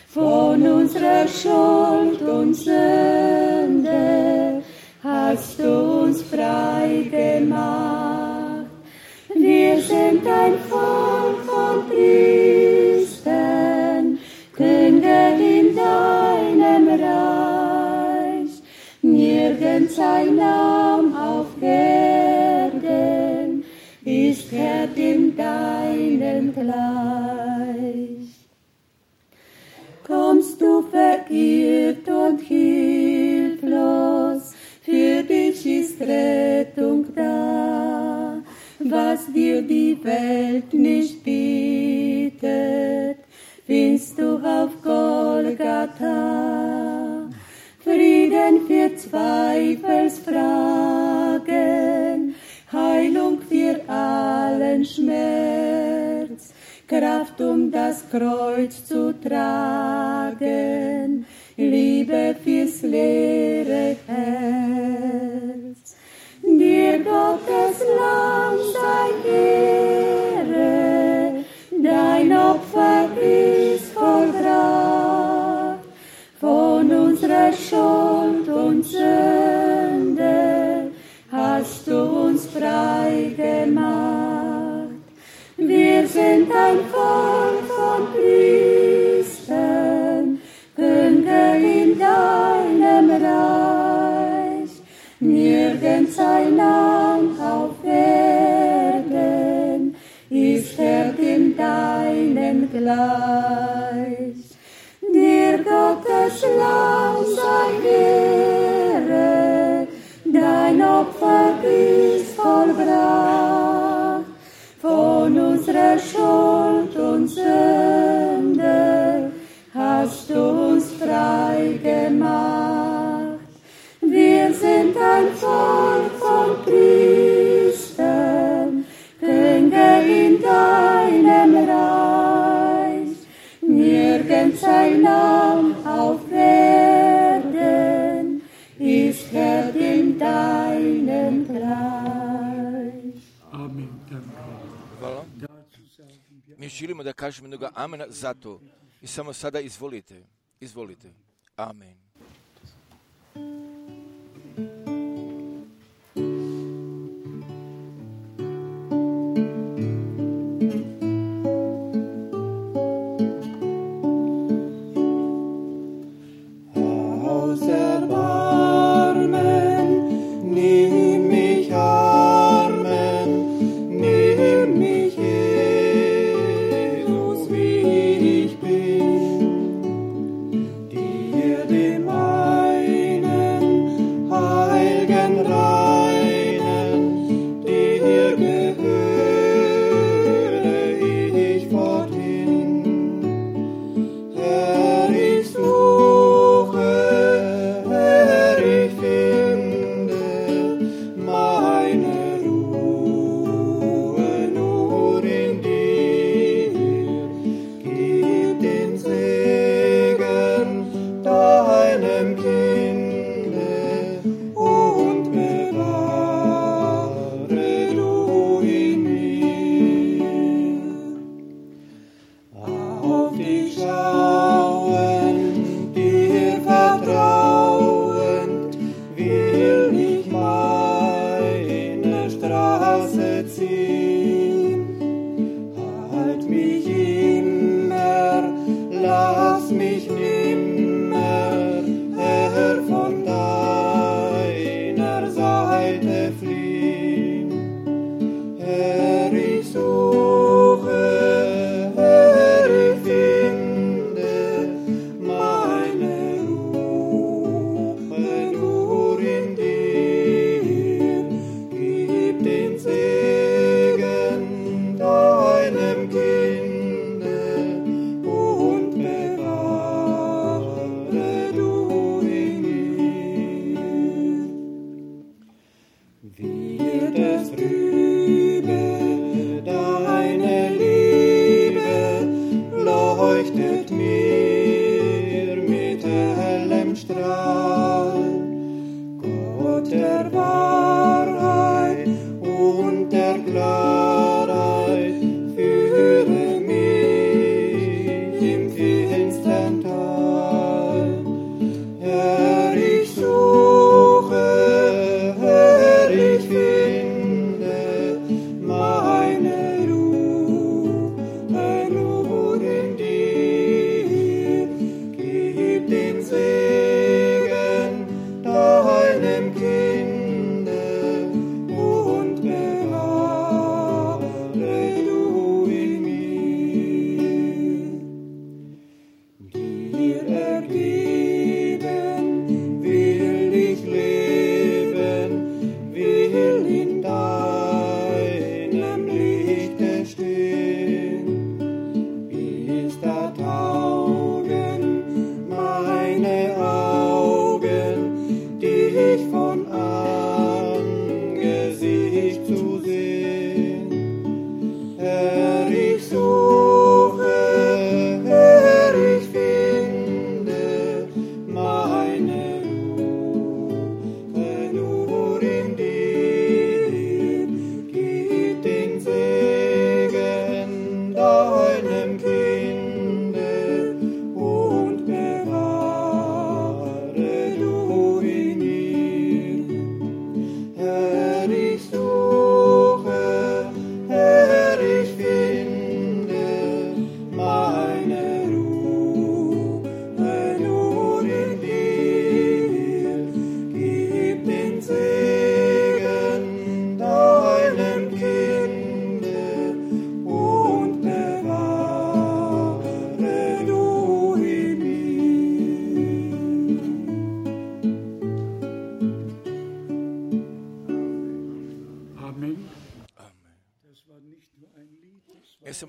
Von unserer Schuld und Sünde hast du uns frei gemacht. Wir sind ein Volk von Priestern, Könige in deinem Reich. Nirgends ein Lamm auf Erden ist Herr dem deinem gleich. verirrt und hilflos, für dich ist Rettung da. Was dir die Welt nicht bietet, findest du auf Golgatha. Frieden für Zweifelsfragen, Heilung für allen Schmerz, Kraft, um das Kreuz zu tragen, Liebe fürs leere Herz. Dir Gottes Lamm sei Ehre, dein Opfer ist vollbracht, von unserer Schuld und Sünde hast du uns frei gemacht. Wir sind ein Volk von Priestern, Könige in deinem Reich. Nirgends ein Land auf Erden ist Herr dem deinen gleich. Dir Gottes Lamm sei Ehre, dein Opfer ist vollbracht, von unserer Schuld und Sünde hast du uns frei gemacht. Wir sind ein Volk von Priestern, Könige in deinem Reich. Nirgends ein Lamm auf Erden ist Herr dem deinen gleich. Amen. Hvala. Mi želimo da kažemo jednoga amena za to. I samo sada izvolite, izvolite. Amen.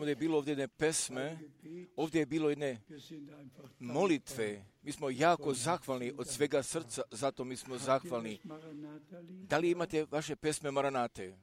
ovdje je bilo ovdje jedne pesme, ovdje je bilo jedne molitve. Mi smo jako zahvalni od svega srca, zato mi smo zahvalni. Da li imate vaše pesme Maranate?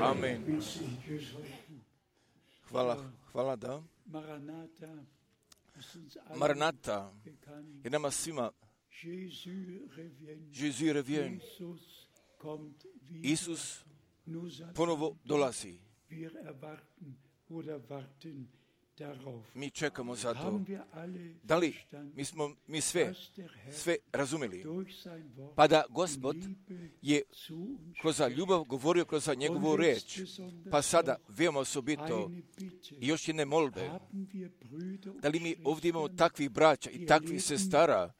Amen. Hvala, hvala da. Maranata je nama svima Jésus revient. Isus ponovo dolazi. Mi čekamo za to. Da li mi smo mi sve, sve razumeli? Pa da Gospod je kroz ljubav govorio kroz njegovu reč. Pa sada veoma osobito i još jedne molbe. Da li mi ovdje imamo takvih braća i takvih sestara,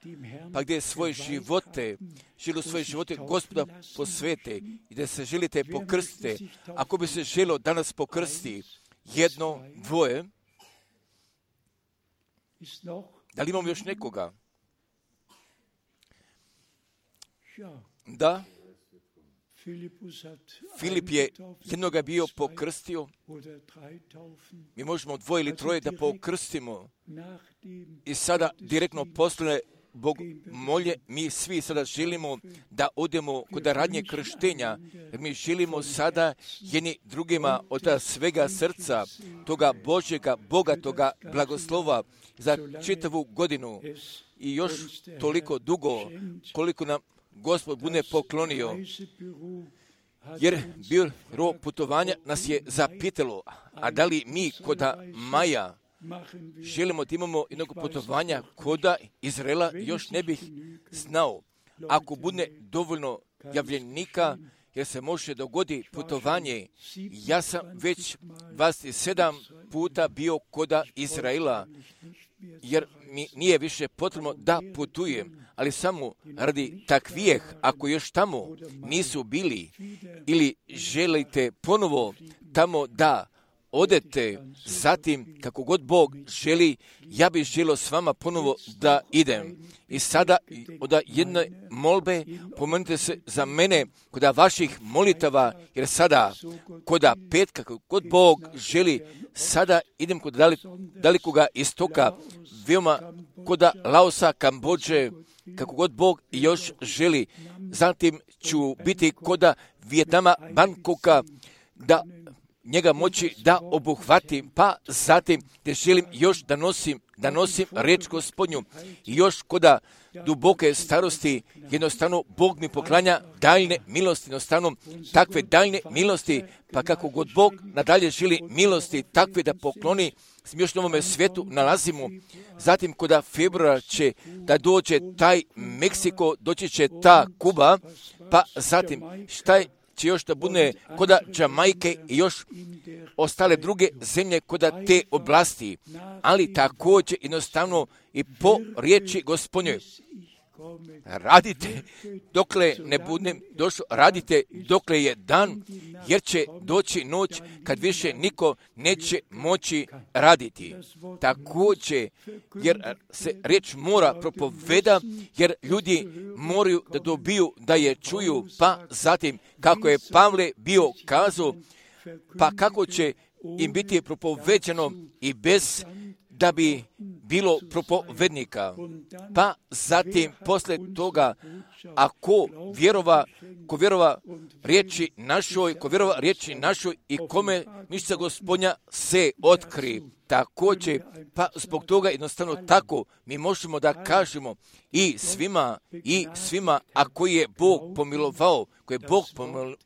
pa gdje svoje živote, žele svoje živote Gospoda posvete i da se želite pokrstiti. Ako bi se želo danas pokrstiti jedno, dvoje, da li imamo još nekoga? Da, Filip je jednoga bio pokrstio. Mi možemo dvoje ili troje da pokrstimo. I sada direktno posle Bog molje, mi svi sada želimo da odemo kod radnje krštenja, jer mi želimo sada jedni drugima od svega srca, toga Božjega, bogatoga blagoslova za čitavu godinu i još toliko dugo koliko nam Gospod bude poklonio. Jer biro putovanja nas je zapitalo, a da li mi koda Maja želimo da imamo jednog putovanja koda Izraela, još ne bih znao. Ako bude dovoljno javljenika, jer se može dogodi putovanje, ja sam već dvadeset sedam puta bio koda Izraela, jer mi nije više potrebno da putujem, ali samo radi takvijeh, ako još tamo nisu bili ili želite ponovo tamo da odete, zatim kako god Bog želi, ja bih želio s vama ponovo da idem. I sada od jedne molbe pomenite se za mene kod vaših molitava, jer sada kod petka, kako god Bog želi, sada idem kod dalikoga istoka, veoma kod Laosa, Kambodže, kako god Bog još želi. Zatim ću biti kod Vijetnama, Bangkoka, da njega moći da obuhvatim, pa zatim te želim još da nosim, da nosim reč Gospodnju. I još koda duboke starosti, jednostavno Bog mi poklanja daljne milosti, jednostavno takve daljne milosti, pa kako god Bog nadalje želi milosti takve da pokloni, s još na ovome svijetu nalazimo. Zatim koda februara će da dođe taj Meksiko, doći će ta Kuba, pa zatim šta je će još da bude koda Jamajke i još ostale druge zemlje koda te oblasti, ali također jednostavno i po riječi Gospodnjoj. Radite dokle ne budem došao, radite dokle je dan, jer će doći noć kad više niko neće moći raditi. Također, jer se riječ mora propoveda, jer ljudi moraju da dobiju da je čuju, pa zatim kako je Pavle bio kazao, pa kako će im biti propoveđeno i bez da bi bilo propovednika. Pa zatim, posle toga, ako vjerova, ko vjerova riječi našoj, ko vjerova riječi našoj i kome mišća Gospodnja se otkri. Također, pa zbog toga jednostavno tako mi možemo da kažemo i svima, i svima, a koji je Bog pomilovao, koji je Bog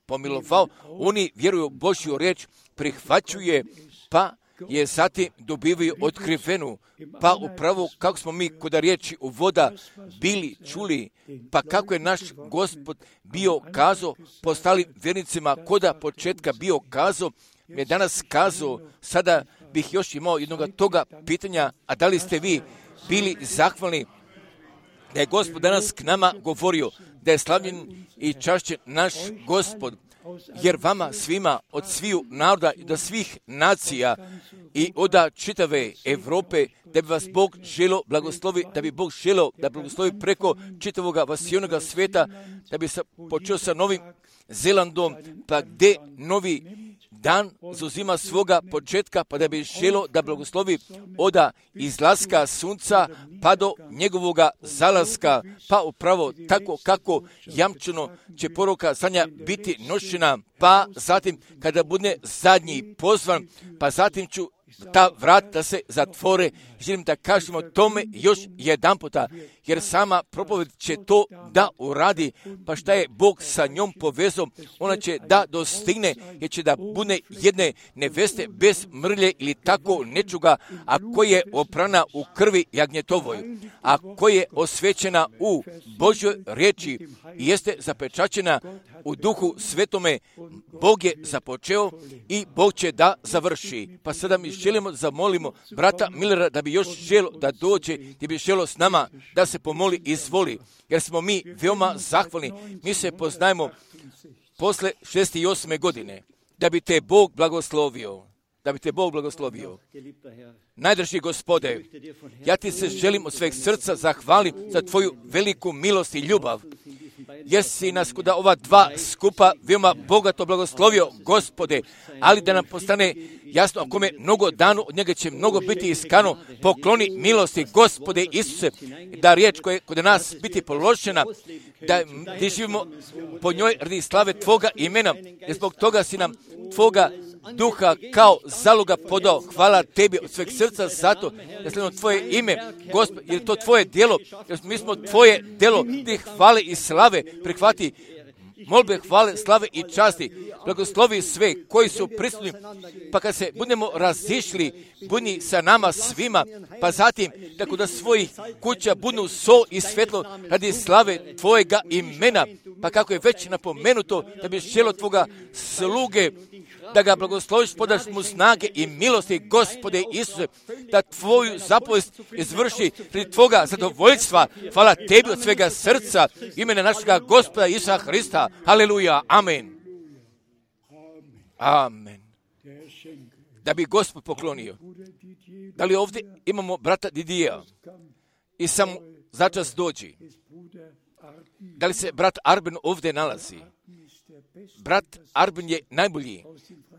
pomilovao, oni vjeruju Božju riječ, prihvaćuje, pa je zatim dobivaju otkrivenu, pa upravo kako smo mi kod riječi u voda bili čuli, pa kako je naš Gospod bio kazao, postali vjernicima koda početka bio kazao, mi je danas kazao, sada bih još imao jednog toga pitanja, a da li ste vi bili zahvalni da je Gospod danas k nama govorio, da je slavljen i čašćen naš Gospod, jer vama svima od sviju naroda i do svih nacija i od čitave Europe, da bi vas Bog želio blagoslovi, da bi Bog želio da blagoslovi preko čitavoga vasijonoga svijeta, da bi se počeo sa Novim Zelandom, pa gdje novi dan zauzima svoga početka, pa da bi želio da blagoslovi od izlaska sunca pa do njegovoga zalaska, pa upravo tako kako jamčeno će poruka za nja biti nošena, pa zatim kada bude zadnji pozvan, pa zatim ću ta vrat da se zatvore. Želim da kažemo tome još jedan puta, jer sama propoved će to da uradi, pa šta je Bog sa njom povezao, ona će da dostigne, jer će da bude jedne neveste bez mrlje ili tako nečuga, a koja je oprana u krvi jagnjetovoj, a koja je osvećena u Božjoj riječi i jeste zapečaćena u Duhu Svetome. Bog je započeo i Bog će da završi. Pa sada mi želimo zamolimo brata Millera da bi još želo da dođe, da bi želo s nama da se pomoli i izvoli, jer smo mi veoma zahvalni. Mi se poznajemo posle šezdeset osme godine, da bi te Bog blagoslovio. Da bi te Bog blagoslovio. Najdraži Gospode, ja ti se želim od sveg srca zahvalim za tvoju veliku milost i ljubav. jesi nas kod ova dva skupa veoma bogato blagoslovio, Gospode, ali da nam postane jasno, ako me mnogo danu, od njega će mnogo biti iskano, pokloni milosti, Gospode Isuse, da riječ koja je kod nas biti položena, da živimo po njoj radi slave Tvoga imena, jer zbog toga si nam Tvoga duha kao zaloga podao. Hvala Tebi od sveg srca zato da slijedimo Tvoje ime, Gospod, jer je to Tvoje djelo, jer mi smo Tvoje djelo, Ti hvale i slave, prihvati molbe, hvale, slave i časti. Blagoslovi sve koji su prisutni, pa kad se budemo razišli, budi sa nama svima, pa zatim da kod svojih kuća budu sol i svjetlo radi slave Tvojega imena, pa kako je već napomenuto da bi želo Tvoga sluge, da ga blagosloviš, podaš mu snage i milosti, Gospode Isuse, da Tvoju zapovijest izvrši radi Tvoga zadovoljstva. Hvala Tebi od svega srca, imena našega Gospoda Isusa Hrista. Haleluja, amen. Amen. Da bi Gospod poklonio. Da li ovdje imamo brata Didija i sam začas dođi? Da li se brat Arben ovdje nalazi? Brat Arben je najbolji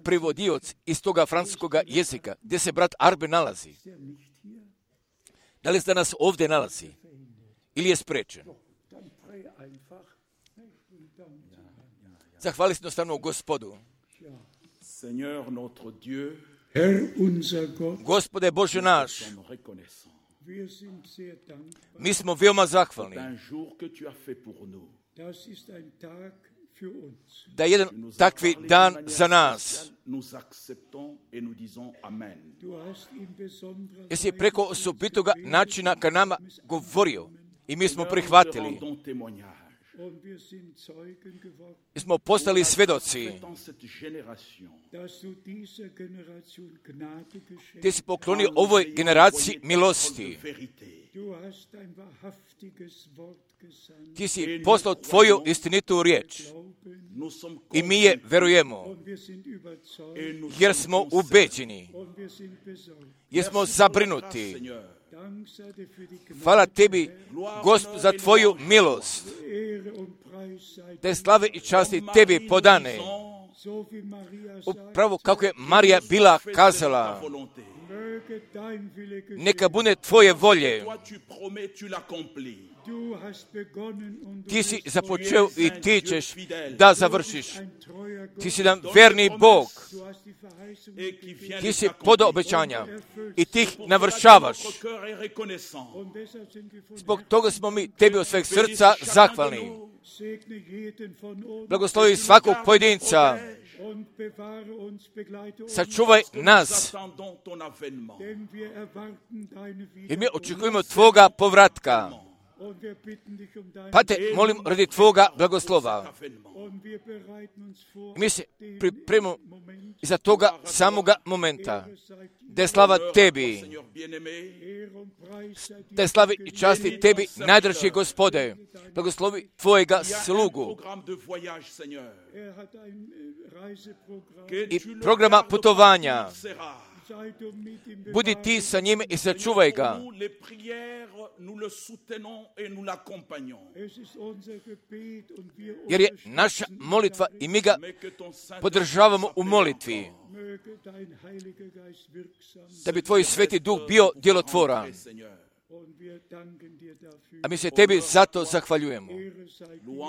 prevodioc iz toga francuskoga jezika. Gdje se brat Arben nalazi? Da li se danas ovdje nalazi? Ili je sprečen? Zahvali se jednostavno Gospodu. Gospode Bože naš, mi smo veoma zahvalni da je jedan takvi dan za nas. Jesi preko osobitoga načina ka nama govorio i mi smo prihvatili. I smo postali svjedoci. Ti si poklonio ovoj generaciji milosti. Ti si poslao Tvoju istinitu riječ. I mi je verujemo. Jer smo ubeđeni. Jer smo zabrinuti. Hvala Tebi, Gospod, za Tvoju milost. Te slave i časti Tebi podane. Upravo kako je Marija bila kazala, neka bude Tvoje volje. Ti si započeo i ti ćeš da završiš. Ti si nam verni Bog. Ti si podao obećanja i ti ih navršavaš. Zbog toga smo mi Tebi od sveg srca zahvalni. Blagoslovi svakog pojedinca. Sačuvaj nas, jer mi očekujemo Tvoga povratka. Pa te molim radi Tvoga blagoslova. Mi se pripremimo iza toga samoga momenta. Da je slava Tebi. Da je slavi i časti Tebi, najdraži Gospode. Blagoslovi Tvojega slugu. I programa putovanja. Budi Ti sa njime i sačuvaj ga. Jer je naša molitva i mi ga podržavamo u molitvi. Da bi Tvoj Sveti Duh bio djelotvoran. A mi se Tebi zato zahvaljujemo.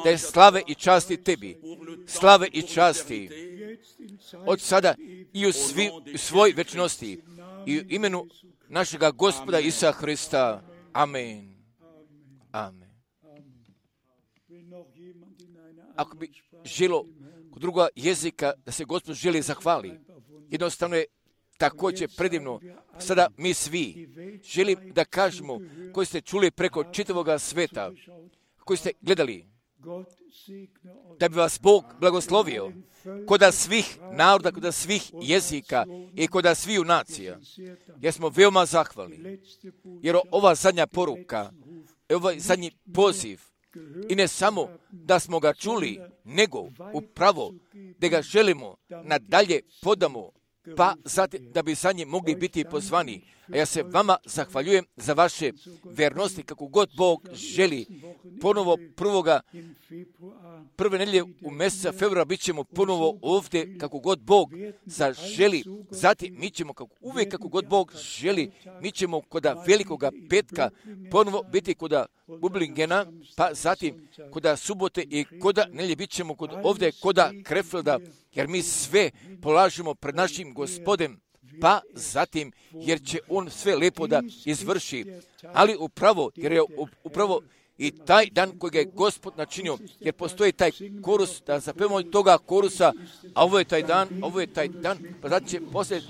Da je slave i časti Tebi. Slave i časti. Od sada i u, svi, u svoj večnosti. I u imenu našega Gospoda Isusa Hrista. Amen. Amen. Ako bi želo kod druga jezika da se Gospod želi zahvali, jednostavno je također predivno. Sada mi svi želim da kažemo koji ste čuli preko čitavoga sveta, koji ste gledali, da bi vas Bog blagoslovio koda svih naroda, koda svih jezika i koda sviju nacija. Jer smo veoma zahvalni. Jer ova zadnja poruka, ovaj zadnji poziv, i ne samo da smo ga čuli, nego upravo da ga želimo nadalje podamo, pa zatim da bi za njim mogli biti pozvani. A ja se vama zahvaljujem za vaše vernosti, kako god Bog želi. Ponovo prvoga, prve nedelje u mjeseca februara bit ćemo ponovo ovdje, kako god Bog zaželi. Zatim mi ćemo, kako, uvijek kako god Bog želi, mi ćemo koda velikoga petka ponovo biti koda Bublingena, pa zatim koda subote i koda nelje bit ćemo kod, ovdje koda Krefelda, jer mi sve polažemo pred našim Gospodem, pa zatim, jer će on sve lepo da izvrši. Ali upravo, jer je upravo i taj dan kojeg je Gospod načinio, jer postoji taj korus, da zapevamo toga korusa, a ovo je taj dan, ovo je taj dan, pa zatim će poslije...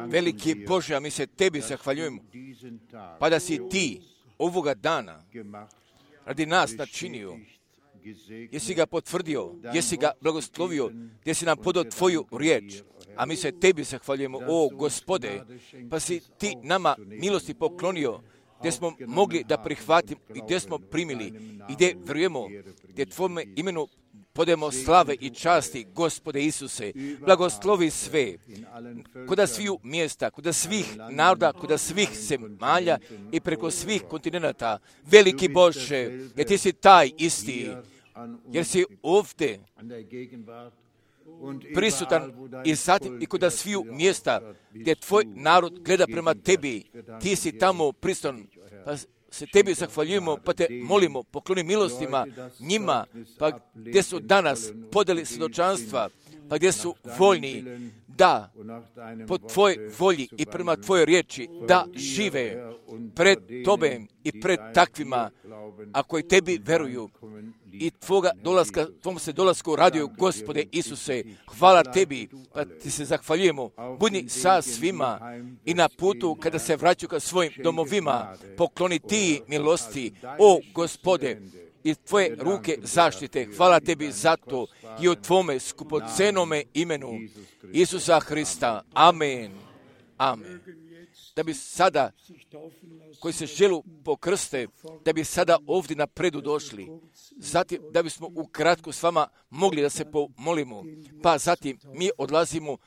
Veliki Bože, a mi se tebi zahvaljujemo, pa da si ti ovoga dana radi nas načinio, jesi ga potvrdio, jesi ga blagoslovio, jesi nam podao tvoju riječ, a mi se tebi zahvaljujemo, o Gospode, pa si ti nama milosti poklonio, gdje smo mogli da prihvatimo i gdje smo primili i gdje vjerujemo, gdje tvome imenu podajemo slave i časti, Gospode Isuse, blagoslovi sve, koda sviju mjesta, koda svih naroda, koda svih zemalja i preko svih kontinenta. Veliki Bože, jer ti si taj isti, jer si ovdje prisutan i zatim i koda sviju mjesta gdje tvoj narod gleda prema tebi, ti si tamo prisutan, pa se tebi zahvaljujemo, pa te molimo, pokloni milostima njima, pa gdje su danas podeli svjedočanstva, pa gdje su voljni da po tvojoj volji i prema tvojoj riječi da žive pred Tobom i pred takvima, a koji tebi veruju i tvoga dolaska, tvom se dolasku radio, Gospode Isuse, hvala tebi, pa ti se zahvaljujemo, budi sa svima i na putu kada se vraćaju ka svojim domovima, pokloni ti milosti, o Gospode, i tvoje ruke zaštite. Hvala tebi za to i u tvome skupocenome imenu Isusa Hrista. Amen. Amen. Da bi sada, koji se želu pokrste, da bi sada ovdje napredu došli. Zatim, da bismo ukratko s vama mogli da se pomolimo. Pa zatim, mi odlazimo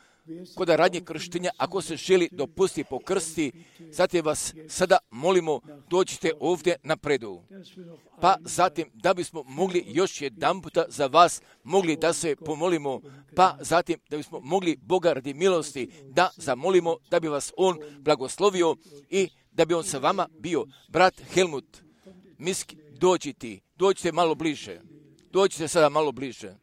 kod radnje krštenja, ako se želi dopustiti pokrsti, zatim vas sada molimo, dođite ovdje napredu. Pa zatim, da bismo mogli još jedan puta za vas mogli da se pomolimo, pa zatim, da bismo mogli Boga radi milosti da zamolimo, da bi vas On blagoslovio i da bi On sa vama bio. Brat Helmut, Miski, dođite, dođite malo bliže, dođite sada malo bliže.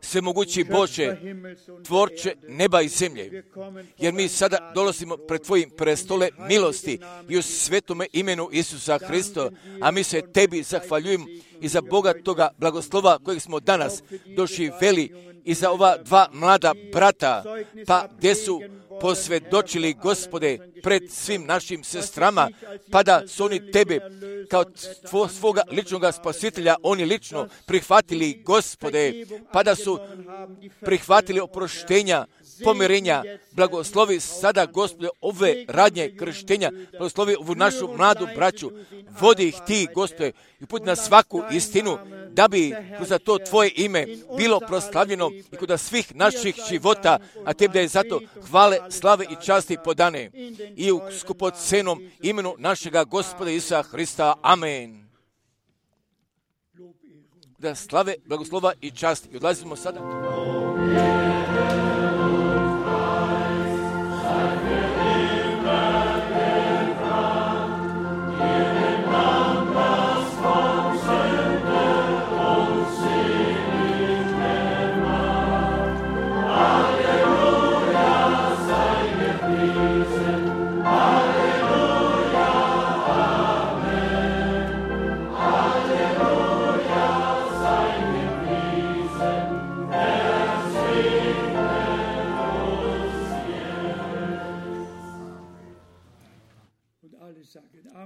Svemogući Bože, tvorče neba i zemlje, jer mi sada dolazimo pred Tvojim prestole milosti i u svetome imenu Isusa Hrista, a mi se Tebi zahvaljujemo i za Boga toga blagoslova kojeg smo danas doživjeli i za ova dva mlada brata, pa gdje su posvjedočili, Gospode, pred svim našim sestrama, pa da su oni Tebe kao tvo, svoga ličnog spasitelja, oni lično prihvatili, Gospode, pa da su prihvatili oproštenja, pomirenja. Blagoslovi sada, Gospode, ove radnje krštenja, blagoslovi ovu našu mladu braću, vodi ih ti, Gospode, i put na svaku istinu, da bi kroz to Tvoje ime bilo proslavljeno i kod svih naših života, a Tebi da je zato hvale, slave i časti podane i u skupocenom imenu našega Gospoda Isusa Hrista. Amen. Da slave, blagoslova i časti. I odlazimo sada. Alleluia.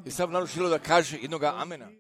I sam narod želio da kaže jednoga amena.